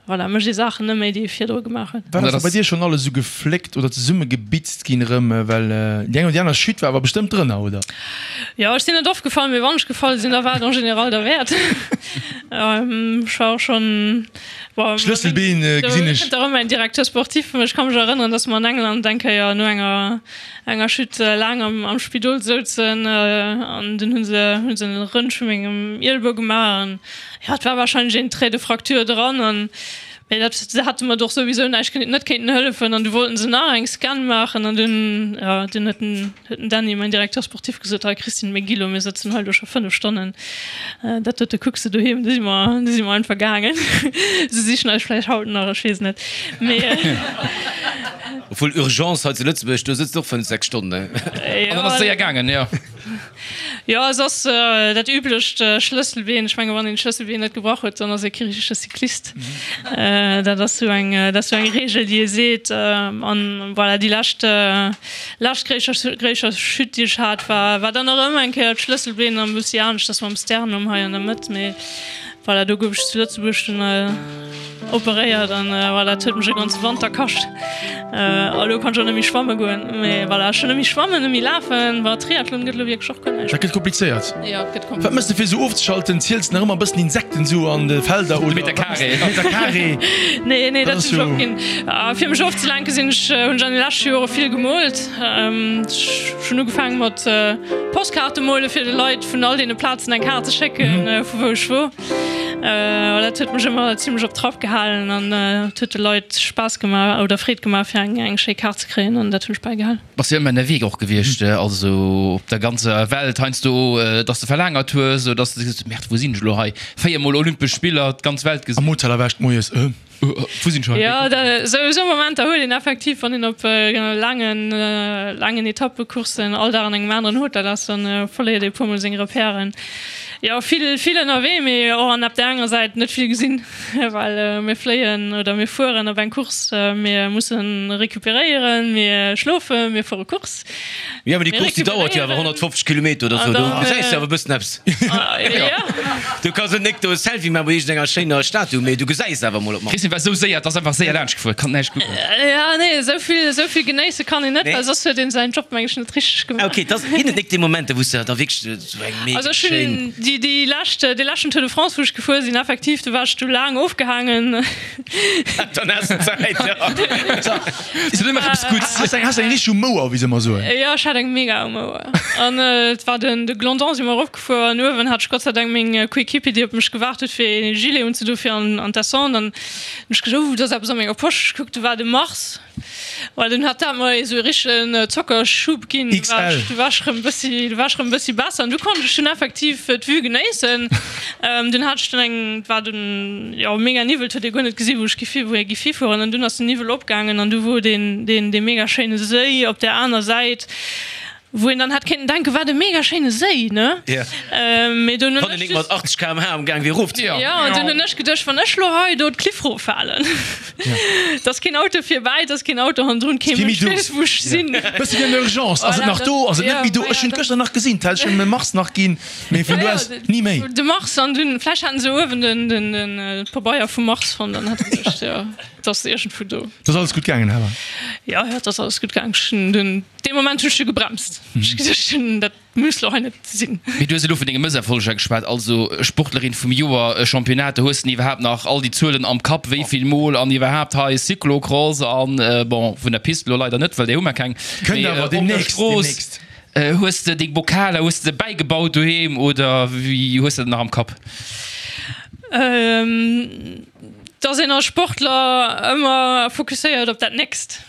voilà, mécht ee Saachen net méi, déi ee virdru gemaach huet. Wat ass da bei dir schonn alles esou gefléckt oder zesummegebitzt ginn erëm? Well déi eng oder déi aner Chute war awer bestëmmt drënner, oder? Jo, ech sinn net oft gefall, mee wann ech gefall sinn, da war et en général derwäert. Ech war och schonn. Schlësselbeen gesinn ech. Kënnt erëm mäin Directeur sportif. Ech ka mech erënneren, datt mer an England eng Kéier no enger enger Chute laang am am Spidol souzen an dunn hu se hu se en Röntg vu mengem Ielbou gemaach an jo, et war wahrscheinlech een Trait de fracture dran an mee dat se hate mer och souwisou näischt net kéinten hëllefen an du wollten se nach eng Scan maachen an dunn jo dunn huet den Huet den Dany, mäin Directeur sportif, gesot, Hei Christine, mir gi lo, mir sëtzen hei lo scho 5 Stonnen, dat dote kucks de doheem. Du si mer, du si mer einfach gaangen. Se sichen eis vläicht haut nach, ech weess net. Mee. Obwuel Urgence hei zu Lëtzebuerg, do sëtzt och 5, 6 Stonnen, ne? An dann ass et séier gaangen, jo. Jo, et ass dat üblecht Schlësselbeen. Ech menge wann een d'Schlësselbeen net gebrach huet, dann ass ee kee richtege Cyclist. Dat ass sou eng, dat ass sou eng Reegel, déi ee seet. An voilà, déi lescht, lescht gréisser, gréisser Chute, déi ech hat, war, war dann erëm eng Kéier d'Schlësselbeen an e bëssi aneschters mam Sternum hei an der Mëtt. Mee voilà, do gouf ech zu Lëtzebuerg dunn Operéiert an voilà, et huet mech e ganze Wanter kascht. A lo kann ech och net méi schwamme goen. Mee voilà, ech hunn net méi schwammen, net méi lafen. Bon, Triathlon gëtt elo wierklech och guer näischt. Dat gëtt komplizéiert. Jo, et gëtt komplizéiert. Wat méchs de fir esou ofzeschalten? Ziels de nach ëmmer e bëssen Insekten esou an de Felder oder? De Meter Carré. Meter Carré. Nee, nee, dat hunn ech opginn. Fir mech ofzelenken sinn ech, hunn ech an de leschte Jore vill gemoolt. Ech hunn ugefaange mat Postkaarte mole fir de Leit vun all deene Plazen eng Kaart ze schécken, vu wou ech wor. Dat huet mech ëmmer zimlech op Trapp gehalen an et huet de Leit Spaass gemaach oder Freed gemaach fir eng eng schéi Kaart ze kréien an dat hunn ech bäigehalen. Bass jo ëmmer ënnerwee och gewiescht, also op der ganzer Welt heiansdo, dass de verlaangert hues oder dass de gesot hues, Merde, wou sinn ech elo hei? 4 mol Olympesch Spiller, d'ganz Welt gesinn. Am Hotel erwächt moies, äh. Wou sinn ech hei? Jo, esou Momenter huet een effektiv, wann een op laangen, laangen Etappecourssen all Dag an engem aneren Hotel ass, dann verléiert ee puer mol seng Repèren. Jo, vill, vill ënnerwee, mee och an op där anerer Säit net vill gesinn, well mir fléien oder mir fueren op eng Course, mir musse recuperéieren, mir schlofen, mir fuere Course. Jo, mee déi Course, déi dauert jo awer 150 Kilometer oder sou, do gesäis de awer e bëssen eppes. Du kanns net nik do e Selfie maache bei iergendenger schéiner Statue, mee du gesäis awer mol op d'mannst. Christine war esou séier, et ass einfach séier laanscht gefuer, kann näischt kucken. Jo, nee, esou vill, esou vill genéisse kann een net, well soss huet een säin Job, meng ech, net richteg gemaach. Ok, et ginn et nik déi Momenter, wou s de da wierklech esou eng mega Also ech hunn schéin. déi, déi lescht, dee leschten Tour de France, wou ech gefuer sinn, effektiv, do war ech du laang ofgehaangen. Dann has de Zäit, jo. Is et ëmmer eppes Gutts? Has eng, has eng richteg um Mouer, wéi se ëmmer soen. Jo, ech hat eng mega um Mouer. An et war den, de Glandon si mer eropgefuer an uewen hat ech Gott sei Dank meng Coéquipier, déi op mech gewaart huet, fir ee Gilet unzedoen fir an, an d'Descente. An hunn ech gesot, oh, do ass eppes a menger Posch. Ech kuck, do war de Mars. Well dunn hat dat mer esou e richtegen Zockerschub ginn. Du war ech, du war ech rëm bëssi, du war ech rëm bëssi besser an du konnt ech dunn effektiv d'Vue genéissen. Dunn hat ech dunn eng, et war dunn, jo, mega Niwwel, et huet ee guer net gesi wou ech giff hi, wou ee giff hifueren. An dunn ass den Niwwel opgaangen an du wor deen, deen, dee mega schéine Séi op där aner Säit. Wou een dann hätt kéinten denken, wat e mega schéine Séi, ne? Mee dunn hunn ech. Wann en nik mat 80 km/h am Gaang wier erof ze. Jo, an dunn hunn ech geduecht, wann ech lo hei do d'Kliff roffalen, et ass keen Auto virbäi, et ass keen Auto hannendrun, kee Mënsch weess, wou ech sinn. Bësse wéi an der Urgence, ass et nach do, ass et net méi do? Ech hunn et gëschter nach gesinn, d'hätt ech ëm e Mars nach ginn, mee vun do aus ni méi. De Mars, an dunn, vläicht haten se uewen den Pabeier vum Mars fonnt an hätte geduecht, jo, et ass iergendwou do. Et ass alles gutt gaangen awer? Jo, jo, et ass alles gutt gaangen. Ech hunn dunn. Dee Moment hunn ech du gebremst. Ech hu geduecht, dat muss lo hei net sinn. Mee du hues elo vun denge Mësserfolleger geschwat, also Sportlerin vum Joer, Championnat, do hues de iwwerhaapt nach all déi Zuelen am Kapp, wéi vill Mol an iwwerhaapt hei Cyclocross an, bon, vun der Pist elo leider net, well déi hu mer keng, mee op der Strooss. Hues de deng Bokaler, hues de se bäigebaut doheem oder wéi hues de dat nach am Kapp? Dass een als Sportler ëmmer fokusséiert op dat Nächst.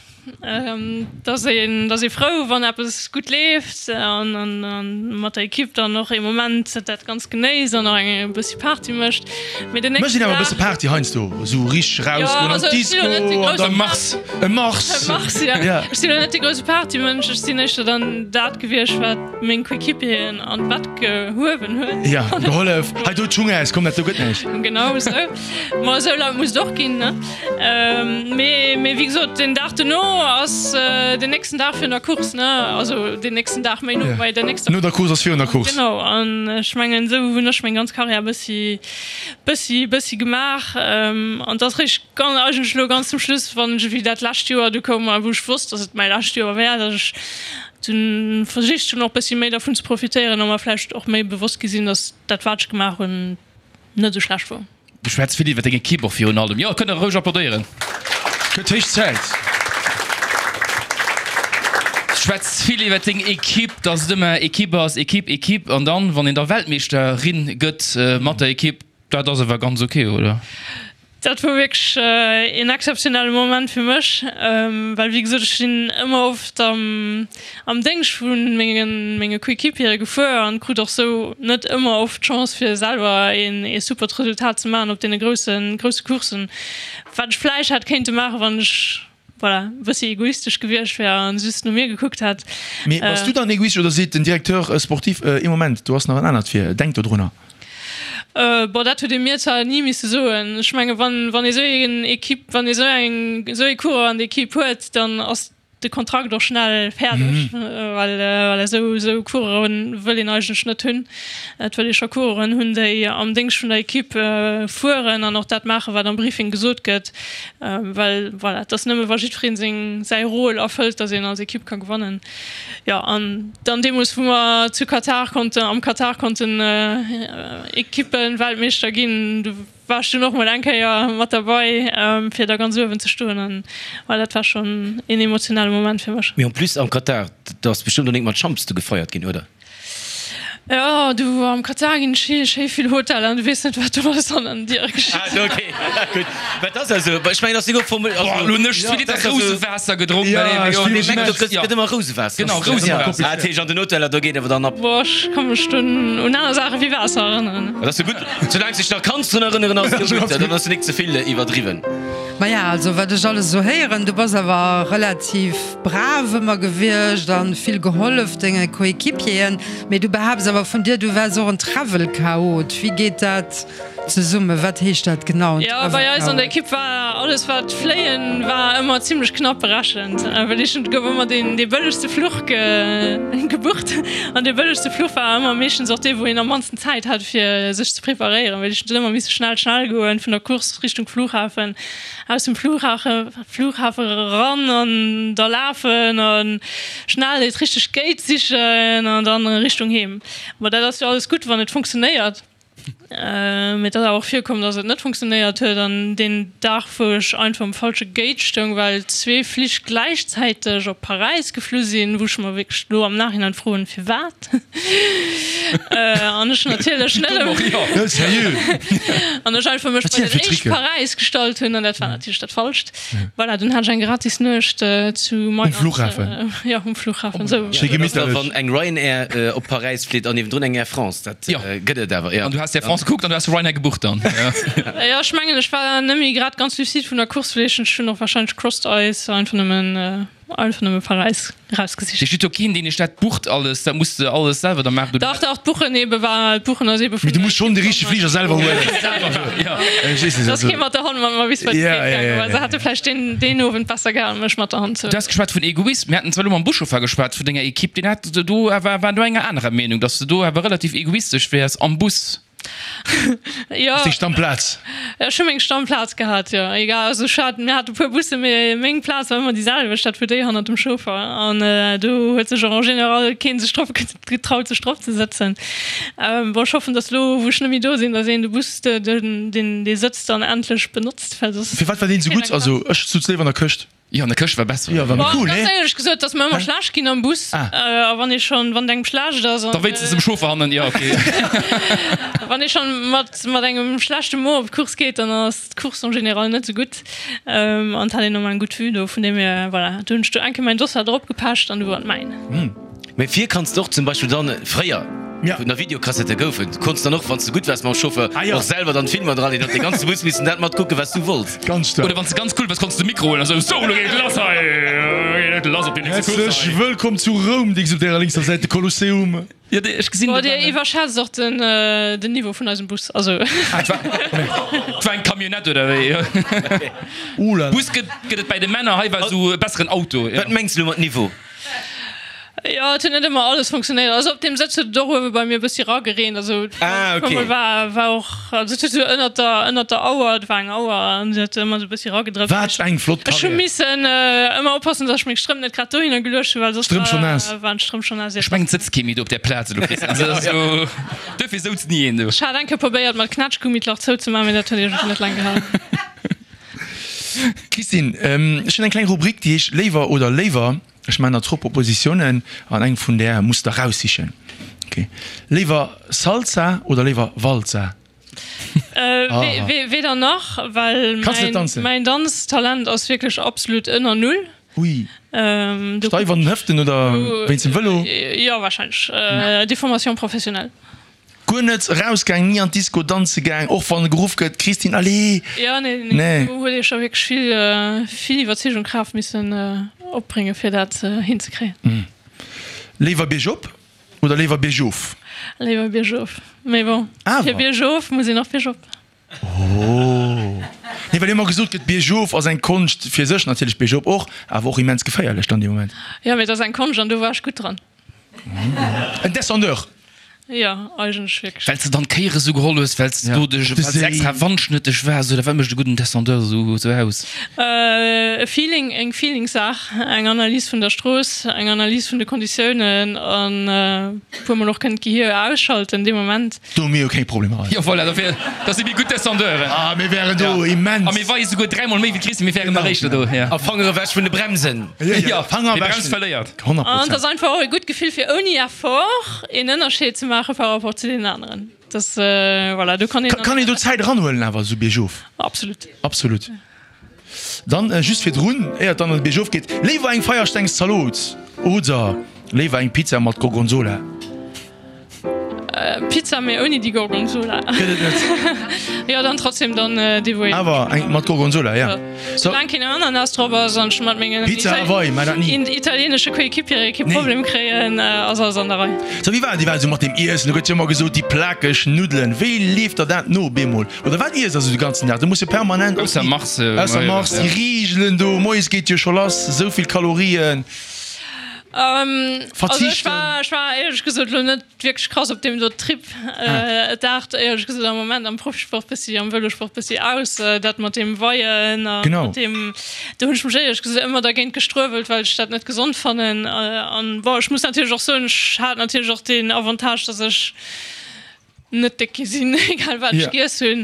Dass een, dass ee frou, wann eppes gutt leeft an mat der Ekipp dann och ee Moment dat Ganzt genéisst an och eng e bëssi Party mécht. Mee den nächsten Dag. Mécht een awer e bësse Party heiansdo, esou richteg erausgoen an d'Disco an dann. E Mars. E Mars. E Mars, jo. Ech sinn elo net dee grousse Partymënsch. Ech sinn éischter dann dat gewiescht, wat meng Coéquipieren an d'Bett gehuewen huet. Jo, gehollef. Hei do d'Schung aus, komm dat do gëtt näischt. Genau esou. Ma esou laut muss et och ginn, ne? Mee, mee wéi gesot, den Dag dono ass den nächsten Dag virun der Course, ne? Also den nächsten Dag méi no bei der nächster. No der Course ass virun der Course. Genau, an ech mengen, esou hunn ech meng ganz Karriär bëssi, bëssi, bëssi gemaach. An et ass réischt ganz, eigentlech elo ganz zum Schluss, wann ech ewéi dat lescht Joer du koum a wou ech wosst, datt et mäi lescht Joer wär, datt ech dunn versicht hunn och bëssi méi dervun ze profitéieren a mer vläicht och méi bewosst gi sinn, datt dat wat ech gemaach hunn, net esou schlecht wor. Du schwätz vill iwwer deng Ekipp och virun allem. Jo, kënnt der roueg applaudéieren. Gëtt héich Zäit. Du schwätz vill iwwer deng Ekipp, dass et ëmmer Ekipp ass, Ekipp, Ekipp. An dann, wann een da Weltmeeschterin gëtt mat der Ekipp, dat ass awer ganz ok, oder? Dat wor wierklech een exzeptionelle Moment fir mech, well wéi gesot, ech sinn ëmmer oft am am Déngscht vu menge Coéquipiere gefuer an krut och sou net ëmmer oft d'Chance fir selwer een ee supert Resultat ze maachen op deene grousse grousse Courssen, wat ech vläicht hätt kéinte maachen, wann ech. Voilà, e bëssi egoistesch gewiescht wär an just no mir gekuckt hätt. Mee bass du dann egoistesch oder seet den Directeur sportif, ee Moment, do ass nach en anert vir, denk dodrunner? Bon, dat huet ee mir zwar ni misse soen. Ech menge wann, wann ee sou een Equipe, wann ee sou eng, sou ee Coureur an der Equipe huet, dann ass de Kontrakt och schnell fäerdeg, well voilà, esou, esou Coureuren wëll een eigentlech net hunn. Et wëll ee scho Coureuren hunn, déi am Déngscht vun der Equipe fueren an och dat maachen, wat am Briefing gesot gëtt. Well voilà, et ass nëmme wa jiddweree seng, säi Rôle erfëllt, datt een als Ekipp ka gewannen. Jo, an dann deemools, wou mer zu Katar konnten, am Katar konnten Ekippe-Weltmeeschter ginn, do war ech dunn och mol eng Kéier mat derbei, fir da ganz uewen ze stoen. An voilà, dat war schonn een emotionale Moment fir mech. Mee en plus am Katar, do ass bestëmmt och nik mat Champs do gefeiert ginn, oder? Jo, du am Katar ginn schéi schéi vill Hoteller an du weess net wat do alles an den Diere geschitt. Ah ok, gutt. Wat ass also, ech mengen ass souguer Formel, also Boah, lo hunn ech zwee Liter Rousewaasser gedronk, Ja, well ech jo, mengen do gëtt gëtt ëmmer Rousewaasser. Genau, Rousewaasser. Ah, dat heescht an den Hoteller do geet awer dann ab. Boah, ech ka mech dunn un aner Saache wéi Waasser erënneren. Dat ass jo gutt, soulaang s dech nach kanns drun erënneren ass et jo gutt, dann ass jo nik ze vill iwwerdriwwen. Maja, also wat ech alles esou héieren, du bass awer relativ brav ëmmer gewiescht an vill gehollef denge Coéquipieren, mee du behaapts awer vun dir, du wärs och en Travel-Chaot. Wéi geet dat zesummen? Wat heescht dat genau, en Jo, bei eis an der Travel-Chaot? Ekipp war alles wat fléien war ëmmer zimlech knapp berechent, well ech et gouf ëmmer deen dee bëllegste Fluch gebucht an dee bëllegste Fluch war ëmmer meeschtens och dee wou een am mannsten Zäit hat fir sech ze preparéieren, well ech huet ëmmer misse schnell schnell goen vun der Course Richtung Flughafen. Aus dem Flughafen eran an da lafen a schnell et richteg Gate sichen an dann Richtung Heem. Ma dat ass jo alles gutt, wann et funktionéiert. Mee et ass awer och virkomm, dass et net funktionéiert huet an deen Dag, wou ech einfach um falsche Gate stoung, well zwee Flich gläichzäiteg op Paräis geflu sinn, wou ech mer wierklech elo am Nachhinein froen, firwat? An ech natierlech net an ech einfach mech bei den éischt Paräis gestallt hunn an dat war natierlech dat Falscht. Voilà, dunn hat ech eng gratis Nuecht zu Mailand. Um Flughafen? Jo, um Flughafen. Esou. Schéi gemitterlech. Wann eng Ryanair op Paräis flitt an niewendrun eng Air France, dat gëtt et awer, jo. An du has d'Air France gekuckt an du has Ryanair gebucht dann? Jo, ech mengen, ech war net méi grad ganz lucide vun der Course, vläicht ech hunn och warscheinlech Crossed Eyes einfach nëmmen. Einfach nëmme Paräis erausgesicht. Dir steet do keen deen iech dat bucht alles, dat musst de alles selwer da maachen. Dach dach, d'Buchen ebe war, d'Buchen ass ebe vun. Mee du muss schonn de richtege Fliger selwer huelen. Et ass kee mat der Hand mat mer bis bei de Gate gaangen, well se hätte vläicht deen deen Owend besser gehalen mech mat der Hand ze. Du has geschwat vun Egoism, mir haten zwar elo mam Buschauffer geschwat vun denger Equipe, deen hat do awer war do enger anerer Meenung, datt s de do awer relativ egoistesch wäers am Bus. Jo. Ass deng Stammplaz? Ech hu meng Stammplaz gehat, jo. Egal, also ech hat, mir hate puer Busse, mee meng Plaz war ëmmer déi selwecht, dat wor déi hannert dem Chauffer. An do huet sech och en général keen sech drop getraut, sech drop ze sëtzen. Bon, ech hoffen, datt elo, wou ech net méi do sinn, datt een de Bus, den, dee Sëtz dann endlech benotzt, well soss. Firwat war deen esou gutt? Also ech sutz léiwer an der Këscht. Jo, an der Këscht war besser. Jo, war méi cool, nee? Ganz éierlech gesot, et ass mer ëmmer schlecht ginn am Bus. A wann ee schonn, wann et engem schlecht ass an. Da wéinstens dem Chauffer hannen, jo, okay. Wann ee schonn mat, mat engem schlechte Mo op d'Course geet, dann ass d'Course en général net esou gutt. An et hat een ëmmer eng gutt Vue do, vun deem hier, voilà, do hunn ech do eng Kéier mäin Dossard eropgepecht an du war et mäin. Mee vir kanns de och zum Beispill dann, fréier, wou nach Videokassette goufen, konns dann och, wann s de gutt waars mam Chauffeur, och selwer dann d'Filmer dran leeën, huet de ganze Bus missen dat matkucken, wat s du wollts. Ganz staark. Oder wann s de ganz cool waars, konns de de Mikro huelen a sou, Sou, lo geet et lass hei, lo geet et lass op déi nächste Course hei. Häerzlech wëllkomm zu Roum, dings op därer lénkser Säit de Kolosseum. Jo, ech gesinn Boah, dir iwwerschätzt och den Niveau vun eisem Bus, also. Ah, et war, et war eng Camionnette oder wéi? Ouh là là. Bus gëtt, gëtt et bäi de Männer, hei war esou e besseren Auto. Wat mengs de lo mat Niveau? Jo, et huet net ëmmer alles funktionéiert. Also op deem Sëtz huet et och uewe bei mir e bëssi ragereent. Also Ah, okay. puermol war, war och, also et huet esou ënnert der, ënnert der Auer, et war eng Auer an se huet ëmmer esou e bëssi ragedrëpst. Wat eng flott Ech hu Carrière. missen ëmmer oppassen, datt ech meng Strëmp net grad dohinner geluecht hunn, well soss Strëmp schonn war, naass. waren d'Strëmp schonn naass. Ech mengen, et sëtzt kee méi do op där Plaz elo, Christian. Also dat ass jo, duerfir souz ni een do. Ech hat eng Kéier probéiert, mat Knätschgummi d'Lach zouzemaachen, mee dat huet iergendwéi net laang gehalen. Christine, ech hunn eng kleng Rubrik, déi heescht Léiwer oder léiwer. Ech maachen der zwou Propositiounen an eng vun där muss der raussichen. Ok. Léiwer Salsa oder léiwer Walzer? Weder nach, well Kanns net danzen? mäin Danztalent ass wierklech absolut ënner Null. Ui. Steif an den Hëften oder wéinst dem Vëlo? Jo, warscheinlech. Déformation professionnelle. Guer net erausgaang, ni an d'Disco danze gaang, och wann geruff gëtt, Christine, allez! Jo, nee, nee, do huet ee scho wierklech vill, vill Iwwerzeegung, Kraaft missen opbréngen, fir dat hinzekréien. Léiwer biergop oder léiwer biergof? Léiwer biergof, mee bon, fir biergof muss een och biergop. Oh. Nee, well ëmmer gesot gëtt, biergof ass eng Konscht fir sech, natierlech biergop och, awer och immens geféierlech dann dee Moment. Jo, mee et ass eng Konscht an do war ech gutt dran. En Descendeur. Jo, eigentlech wierklech. Well s de dann d'Kéiere sou geholl hues, well s de do dech, well s extra wandschnëtteg waars, oder wat mécht e gudden Descendeur sou aus? E Feeling, eng Feelingssaach, eng Analys vun der Strooss, eng Analys vun de Konditiounen an e puermol och kënnen d'Gehir ausschalten dee Moment. Do hu mir jo keng Problemer hei. Jo voilà, dofir, dat si mir gutt Descendeuren. Ah, mir wären do immens. A mir weie souguer dräimol méi wéi d'Christi, mir wären nach éischter do, ja. A Fanger ewech vun de Bremsen. Jo, Fanger ewech. Brems verléiert. 100 Prozent. An et ass einfach och e gutt Gefill fir ouni Effort een Ënnerscheed ze maache par rapport zu deenen aneren. Dat, voilà, do kann een. Kann een do Zäit eranhuelen awer esou biergof? Absolut. Absolut. Dann just virdrun, éier et dann an de Biergof geet, léiwer eng Feierstengszalot oder léiwer eng Pizza mat Gorgonzola? Pizza mee ouni déi Gorgonzola. Gëtt et net. Jo dann trotzdem dann déi wou een. Awer eng mat Gorgonzola, ja. Soulaang keen Ananas drop ass an ech mat mengen Pizza Hawaii, mä dat ni. italienesche Coéquipiere kee Problem kréien, ass alles an der Rei. Sou, wéi war déi Welt esou mat dem Iessen? Do gëtt jo ëmmer gesot, déi plakeg Nuddelen. Wéi leeft der dat no bemol? Oder wat iesst der esou de ganzen Dag? Du muss jo permanent Ausser Mars, ausser Mars, déi Rigelen do, moies geet jo scho lass, esou vill Kalorien. Also ech war, ech war éierlech gesot elo net wierklech krass op deem do Trip. Et aart éierlech gesot am Moment am Profisport bëssi, am Vëlosport bëssi aus, dat mat deem Weien a mat deem, do hunn ech mech éierlech gesot ëmmer dergéint gestruewelt, well ech dat net gesond fannen. An bon, ech muss natierlech och soen, ech hat natierlech och deen Avantage, datt ech net déck gi sinn, egal wat ech giess hunn.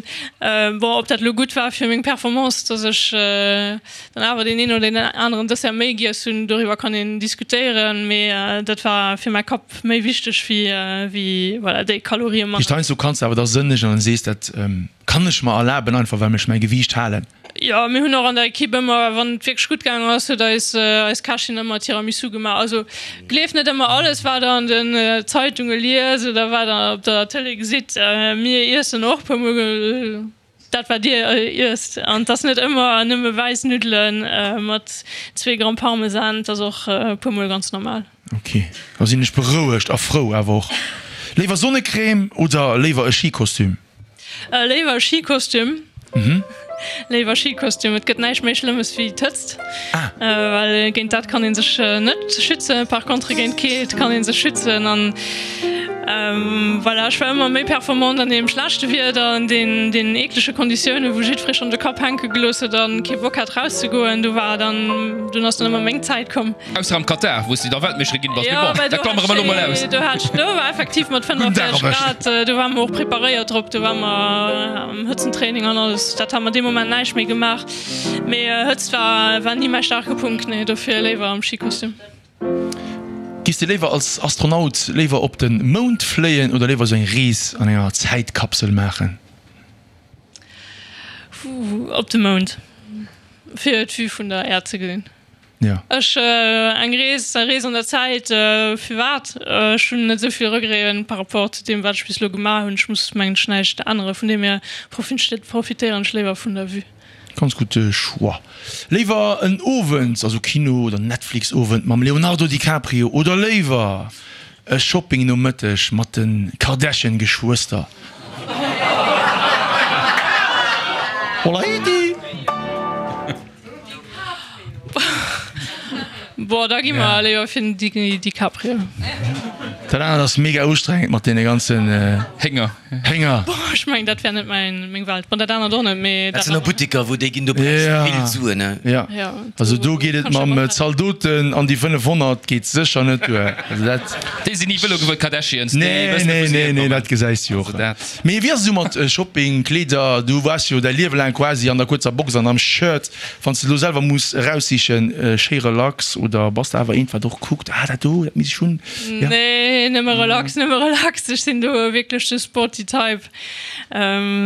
Bon, ob dat elo gutt war fir meng Performance, datt ech dann awer deen een oder deen aneren Dessert méi giess hunn, doriwwer kann een diskutéieren, mee dat war fir mäi Kapp méi wichteg wéi wéi voilà déi Kalorië manner. Heiansdo kanns de awer da sënnegen an sees, dat kann ech mer erlaben, einfach well ech mäi Gewiicht halen. Jo, mir hunn och an der Equipe ëmmer, wann et wierklech gutt gaangen ass, huet eis eis Kächin ëmmer Tiramisu gemaach. Also gleeft net ëmmer alles, wat der an den Zeitunge liest oder wat der op der Tëlee gesitt. Mir iessen och puer mol dat, wat dir iesst. An et ass net ëmmer nëmme wäiss Nuddele mat zwee Gramm Parmesan, et ass och puer mol ganz normal. Ok, da sinn ech berouegt a frou awer och. Léiwer Sonnecrème oder léiwer e Skikostüm? Léiwer e Skikostüm. Léiwer Skikostüm. Et gëtt näischt méi Schlëmmes wéi d'Hëtzt, well géint dat kann ee sech net schützen. Par contre géint d'Keelt kann ee sech schützen. An voilà, ech war ëmmer méi performant an deem schlechte Wieder, an deenen eeklege Konditiounen, wou jiddweree schonn de Kapp hänke gelooss huet a kee Bock hat rauszegoen. Do war dann, dunn ass dann ëmmer meng Zäit komm. Ausser am Katar, wou s de da Weltmeeschterin ginn bass. Mee bon, dat klammere mer elo mol aus. Do hat ech, do war effektiv mat 45 Grad, do ware mer och preparéiert drop, do ware mer am Hëtzentraining an alles. Dat ha mer dee Moment näischt méi gemaach. Mee Hëtzt war, war ni mäi staarke Punkt, nee, dofir léiwer am Skikostüm. Giss de léiwer als Astronaut léiwer op de Mound fléien oder léiwer esou eng Rees an enger Zäitkapsel maachen? Op de Mound, fir d'Vue vun der Äerd ze gesinn. Ja. Ech, eng Rees, eng Rees an der Zäit, firwat? Ech hunn net esou vill Regreten par rapport zu deem, wat ech bis elo gemaach hunn. Ech muss, mengen ech, näischt änneren. Vun deem hier profitéieren ech léiwer vun der Vue. Ganz gudde Choix. Léiwer en Owend, also Kino oder Netflix-Owend mam Leonardo DiCaprio oder léiwer e Shopping-Nomëtteg mat de Kardashian-Geschwëster? Hola Heidi! Boah, da gi mer léiwer fir den DiCaprio. Dat anert ass mega ustrengend mat deene ganzen Hénger. Hénger. Boah, ech mengen dat wär net mäin, meng Welt. Bon, dat anert och net, mee Dat sinn och Buttiker, wou déi ginn, do brauchs de vill Suen, ne? Ja, also do geet et mam Zaldoten an déi 500 geet sécher net duer. Also dat. Déi sinn ni Vëlo gefuer, d'Kardashians, déi Nee, wëssen net, wou nee, se nee, nee, hierkommen. dat gesäis du och. Also dat. Mee wéi ass et esou mat Shopping, Kleeder? Du waars jo däi Liewe laang quasi an der kuerzer Box an am Shirt. Wann s de elo selwer muss eraussichen, schéi relax oder bass de awer eent wat och kuckt, ah dat do, dat misst ech hunn? Ja. Nee. Nee, nëmme relax, nëmme relax. Ech sinn do wierklech de sporty Type.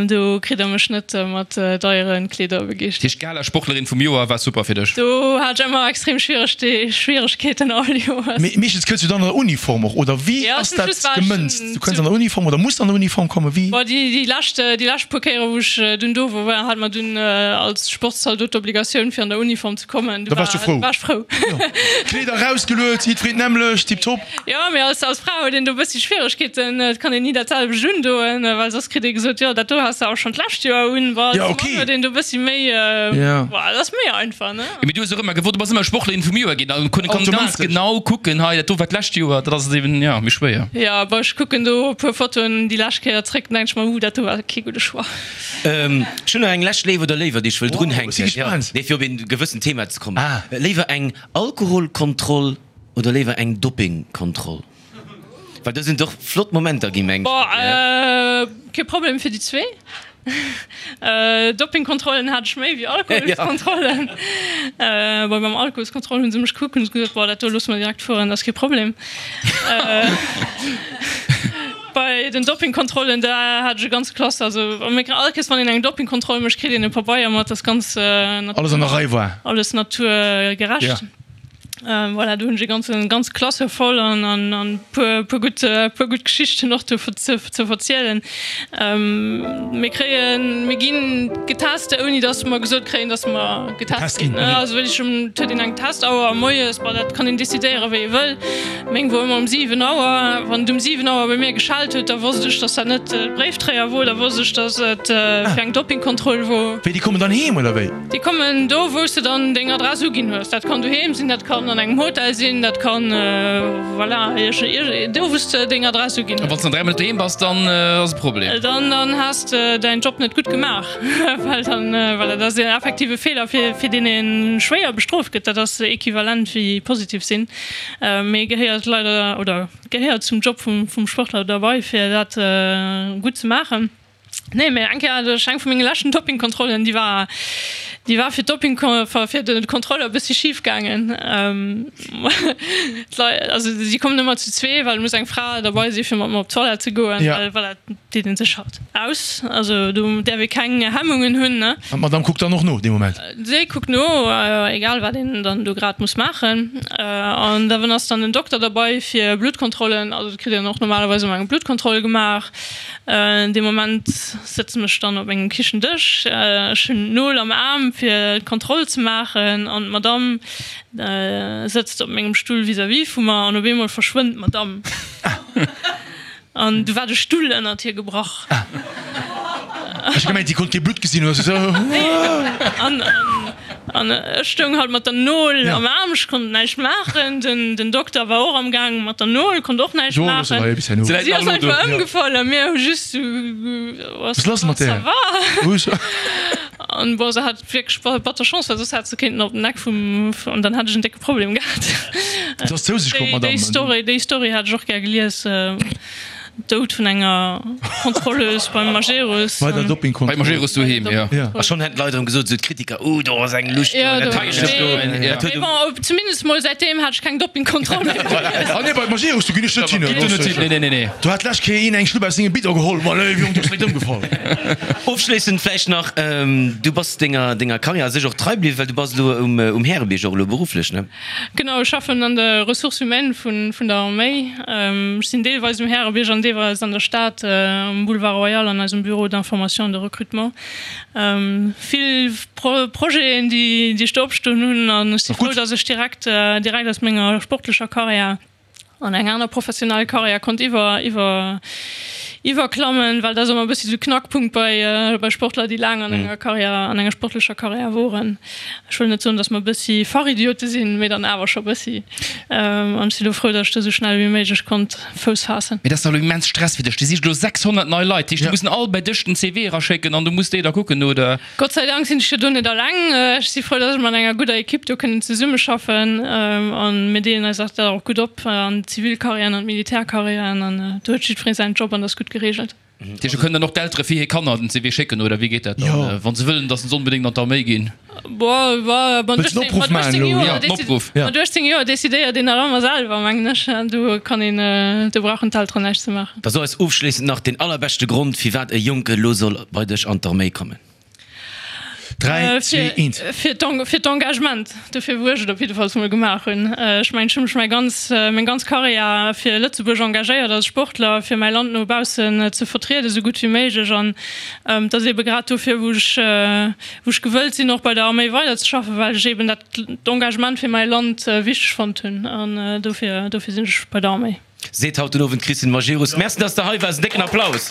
Do kritt der mech net mat deieren Kleeder begeeschtert. Heescht Gala-Sportlerin vum Joer war super fir dech? Do hat ech ëmmer extrem Schwieregkeeten all Joers. Mee meeschtens kënns du dann an der Uniform och, oder wéi ass dat gemënzt? Du kënns an der Uniform oder muss an der Uniform kommen? Wéi? Boah, déi lescht, déi lescht puer Kéiere wou ech dunn do wor, hat mer dunn als Sportszaldot d'Obligatioun fir an der Uniform ze kommen. Da waars du frou? War ech frou. Kleeder erausgeluet, jiddwereen d'nämmlecht, tiptop. Jo, mee als als Fra huet een do e bëssi Schwieregkeeten. Et kann een ni dat selwecht undoen, well soss kritt ee gesot, jo dat do has de awer schonn d'lescht Joer un. Bon, als Ja, Mann okay. huet een do e bëssi méi, bon, dat ass méi einfach, ne? Jo, mee du hues och ëmmer gewosst, du bass ëmmer Sportlerin vum Joer ginn, an kann ganz Automatesch. genau kucken, hei dat do war d'lescht Joer, dat ass et eben, jo, méi schwéier. Jo, bon, ech kucken do e puer Fotoen déi lescht Kéier zréck, dann denk ech mer, uh, dat do war kee gudde Choix. Ech hunn nach eng lescht Léif oder Léiwer, déi ech wëll Wow, ech si drunhänken, jo, gespaant. nee, fir op een gewëssent Thema ze kommen. Ah. Léiwer eng Alkoholkontroll Oder léiwer eng Doppingkontroll? Well do sinn et och flott Momenter ginn, mengen ech. Kee Problem fir déi zwee. Doppingkontrollen hat ech méi wéi Alkoholskontrollen. Bon, beim Alkoholskontroll hu se mech gekuckt, hunn se gesot, bon, dat do loosse mer direkt fueren, dat ass kee Problem. Bei den Doppingkontrollen, da hat ech e ganze Klass, also all Kéiers wann een eng Doppingkontroll mécht, kritt een e Pabeier mat, dat ass ganz Alles an der Rei war. Alles naturgerecht. Voilà, do hunn ech e ganzen, ganz Klasse voll an an an puer puer gutt puer gutt Geschichten och do ze ze verzielen. Mir kréien, mir ginn getest, ouni datt mer gesot kréien, datt mer getest ginn. Also wéi ech um, et huet een eng Testauer moies, bon dat kann een decidéieren wéi ee wëll. Meng wor ëmmer um 7 Auer. Wann et um 7 Auer bei mir geschellt huet, da wosst ech, datt dat net de Bréiftréier wor, da wosst ech, datt et fir eng Doppingkontroll wor. Wéi, déi kommen dann heem oder wéi? Déi kommen do, wou s de dann deng Adress uginn hues. Dat kann doheem sinn, dat kann an engem Hotel sinn, dat kann, voilà, do, wou s de deng Adress uginn hues. A wann s de dann 3 Mol net doheem bass, dann ass e Problem. Dann, dann has de däin Job net gutt gemaach, well dann, voilà, dat ass en effektive Feeler, fir, fir deen ee schwéier bestrooft gëtt. Dat ass equivalent wéi positiv sinn, mee gehéiert leider, oder gehéiert zum Job vum, vum Sportler derbei, fir dat gutt ze maachen. Nee, mee eng Kéier hat ech eng vu menge leschten Dopingkontrollen, déi war, déi war fir d'Doping, fir de Kontroller e bëssi schif gaangen. D'Leit, also si kommen ëmmer zu zwee, well et muss eng Fra derbei si fir mat mer op d'Toilette ze goen, well voilà, et deet ee sech halt aus. Also do däerf ee keng Hemmungen hunn, ne. An d'Madame kuckt dann och no dee Moment? Si kuckt no, egal wat een dann do grad muss maachen. An da ass dann den Dokter derbei fir Bluttkontrollen, also et kritt een och normalerweis ëmmer eng Bluttkontroll gemaach. Dee Moment sëtzen ech dann op mengem Kichendësch, ech hunn d'Nol am Aarm fir d'Kontroll ze maachen an d'Madame sëtzt op mengem Stull vis-à-vis vu mer an op eemol verschwënnt d'Madame an du war de Stull ënnert hir gebrach. Ech hu gemengt, déi konnt kee Blutt gesinn oder sou. An An ech stoung halt mat der Nol am Aarm, ech konnt näischt maachen. Den Dokter war och am Gaang mat der Nol, konnt och näischt maachen. Si ass einfach ëmgefall a mir hu just sou, Was lass mat där? Ça va? An bon, se hat wierklech batter Chance, well soss hätt se kéinten op den Eck vum, an dann hätt ech en décke Problem gehat. Se ass zou sech komm, d'Madame. Déi Story, déi Story hätt ech och gär gelies. Doud vun enger Kontrolleuse beim Majerus. Bei der Dopingkontroll. Beim Majerus doheem, jo. A schonn hätten d'Leit erëm gesot, esou d'Kritiker, Uh, do ass eng Lucht do, dat heescht do. Dat huet Mee bon, zumindest mol säitdeem hat ech keng Dopingkontroll méi. Ah nee, bei Majerus, do ginn ech net hin. Do net hin, nee, nee, nee. Do hat d'lescht Kéier een eng Schlupp aus sengem Bidon geholl. Ma léif Jong, du bass direkt ëmgefall. Ofschléissend vläicht nach, Du bass denger, denger Karriär a sech och trei bliwwen, well du bass elo um, um Härebierg och elo berufflech, ne? Genau, ech schaffen an der Ressources humaines vun der Arméi. Ech sinn deelweis um Härebierg an deelweis an der Stad um Boulevard Royal an eisem Bureau d'information et de recrutement. Vill Projeten, déi ech do opstoen hunn an ech si frou, datt ech direkt direkt aus menger sportlecher Karriär an eng aner professionell Karriär konnt iwwer iwwer iwwerklammen, well dat ass ëmmer e bëssi sou Knackpunkt bei bei Sportler, déi laang an enger Karriär, an enger sportlecher Karriär woren. Ech wëll net soen, datt mer e bëssi Fachidiote sinn, mee dann awer scho bëssi. An ech si lo frou, datt ech do sou schnell wéi méiglech konnt Fouss faassen. Mee dat ass dach elo immens Stress fir dech. Déi sicht elo 600 nei Leit, déi mussen all bei dech den CV eraschécken an du muss déi da kucken, oder? Gott sei Dank sinn ech jo do net alleng. Ech si frou, dass ech mat enger gudder Ekipp do kënnen zesummeschaffen an mir deelen eis dat och gutt op an d'Zivilkarriären an d'Militärkarriären an do huet jiddweree säin Job an dat ass gutt gereegelt. gereegelt. Dat heescht, do kënnen dann och d'Eltere fir hir Kanner den CV schécken, oder wéi geet dat dann, wa se wëllen, datt se onbedéngt an d'Arméi ginn? Mat 18 Joer decidéiert een nach ëmmer selwer, mengen ech. Do kann een, do brauchen d'Elteren näischt ze maachen. Da so eis ofschléissend nach deen allerbeschte Grond, firwat e Jonke elo soll bei dech an d'Arméi kommen. 3, 2, 1. Fir d'Engagement, dofir wou ech et op jiddefalls mol gemaach hunn. Ech mengen, ech hu mech mäi ganz, meng ganz Karriär fir Lëtzebuerg engagéiert als Sportler, fir mäi Land no baussen ze vertrieden, esou gutt wéi méiglech. An et ass eebe grad dofir, wou ech, wou ech gewëllt sinn, och bei der Arméi weiderzeschaffen, well ech eeben dat, d'Engagement fir mäi Land wichteg fonnt hunn. An dofir, dofir sinn ech bei der Arméi. Seet haut den Owend d'Christine Majerus. Merci, dass de hei waars. En décken Applaus!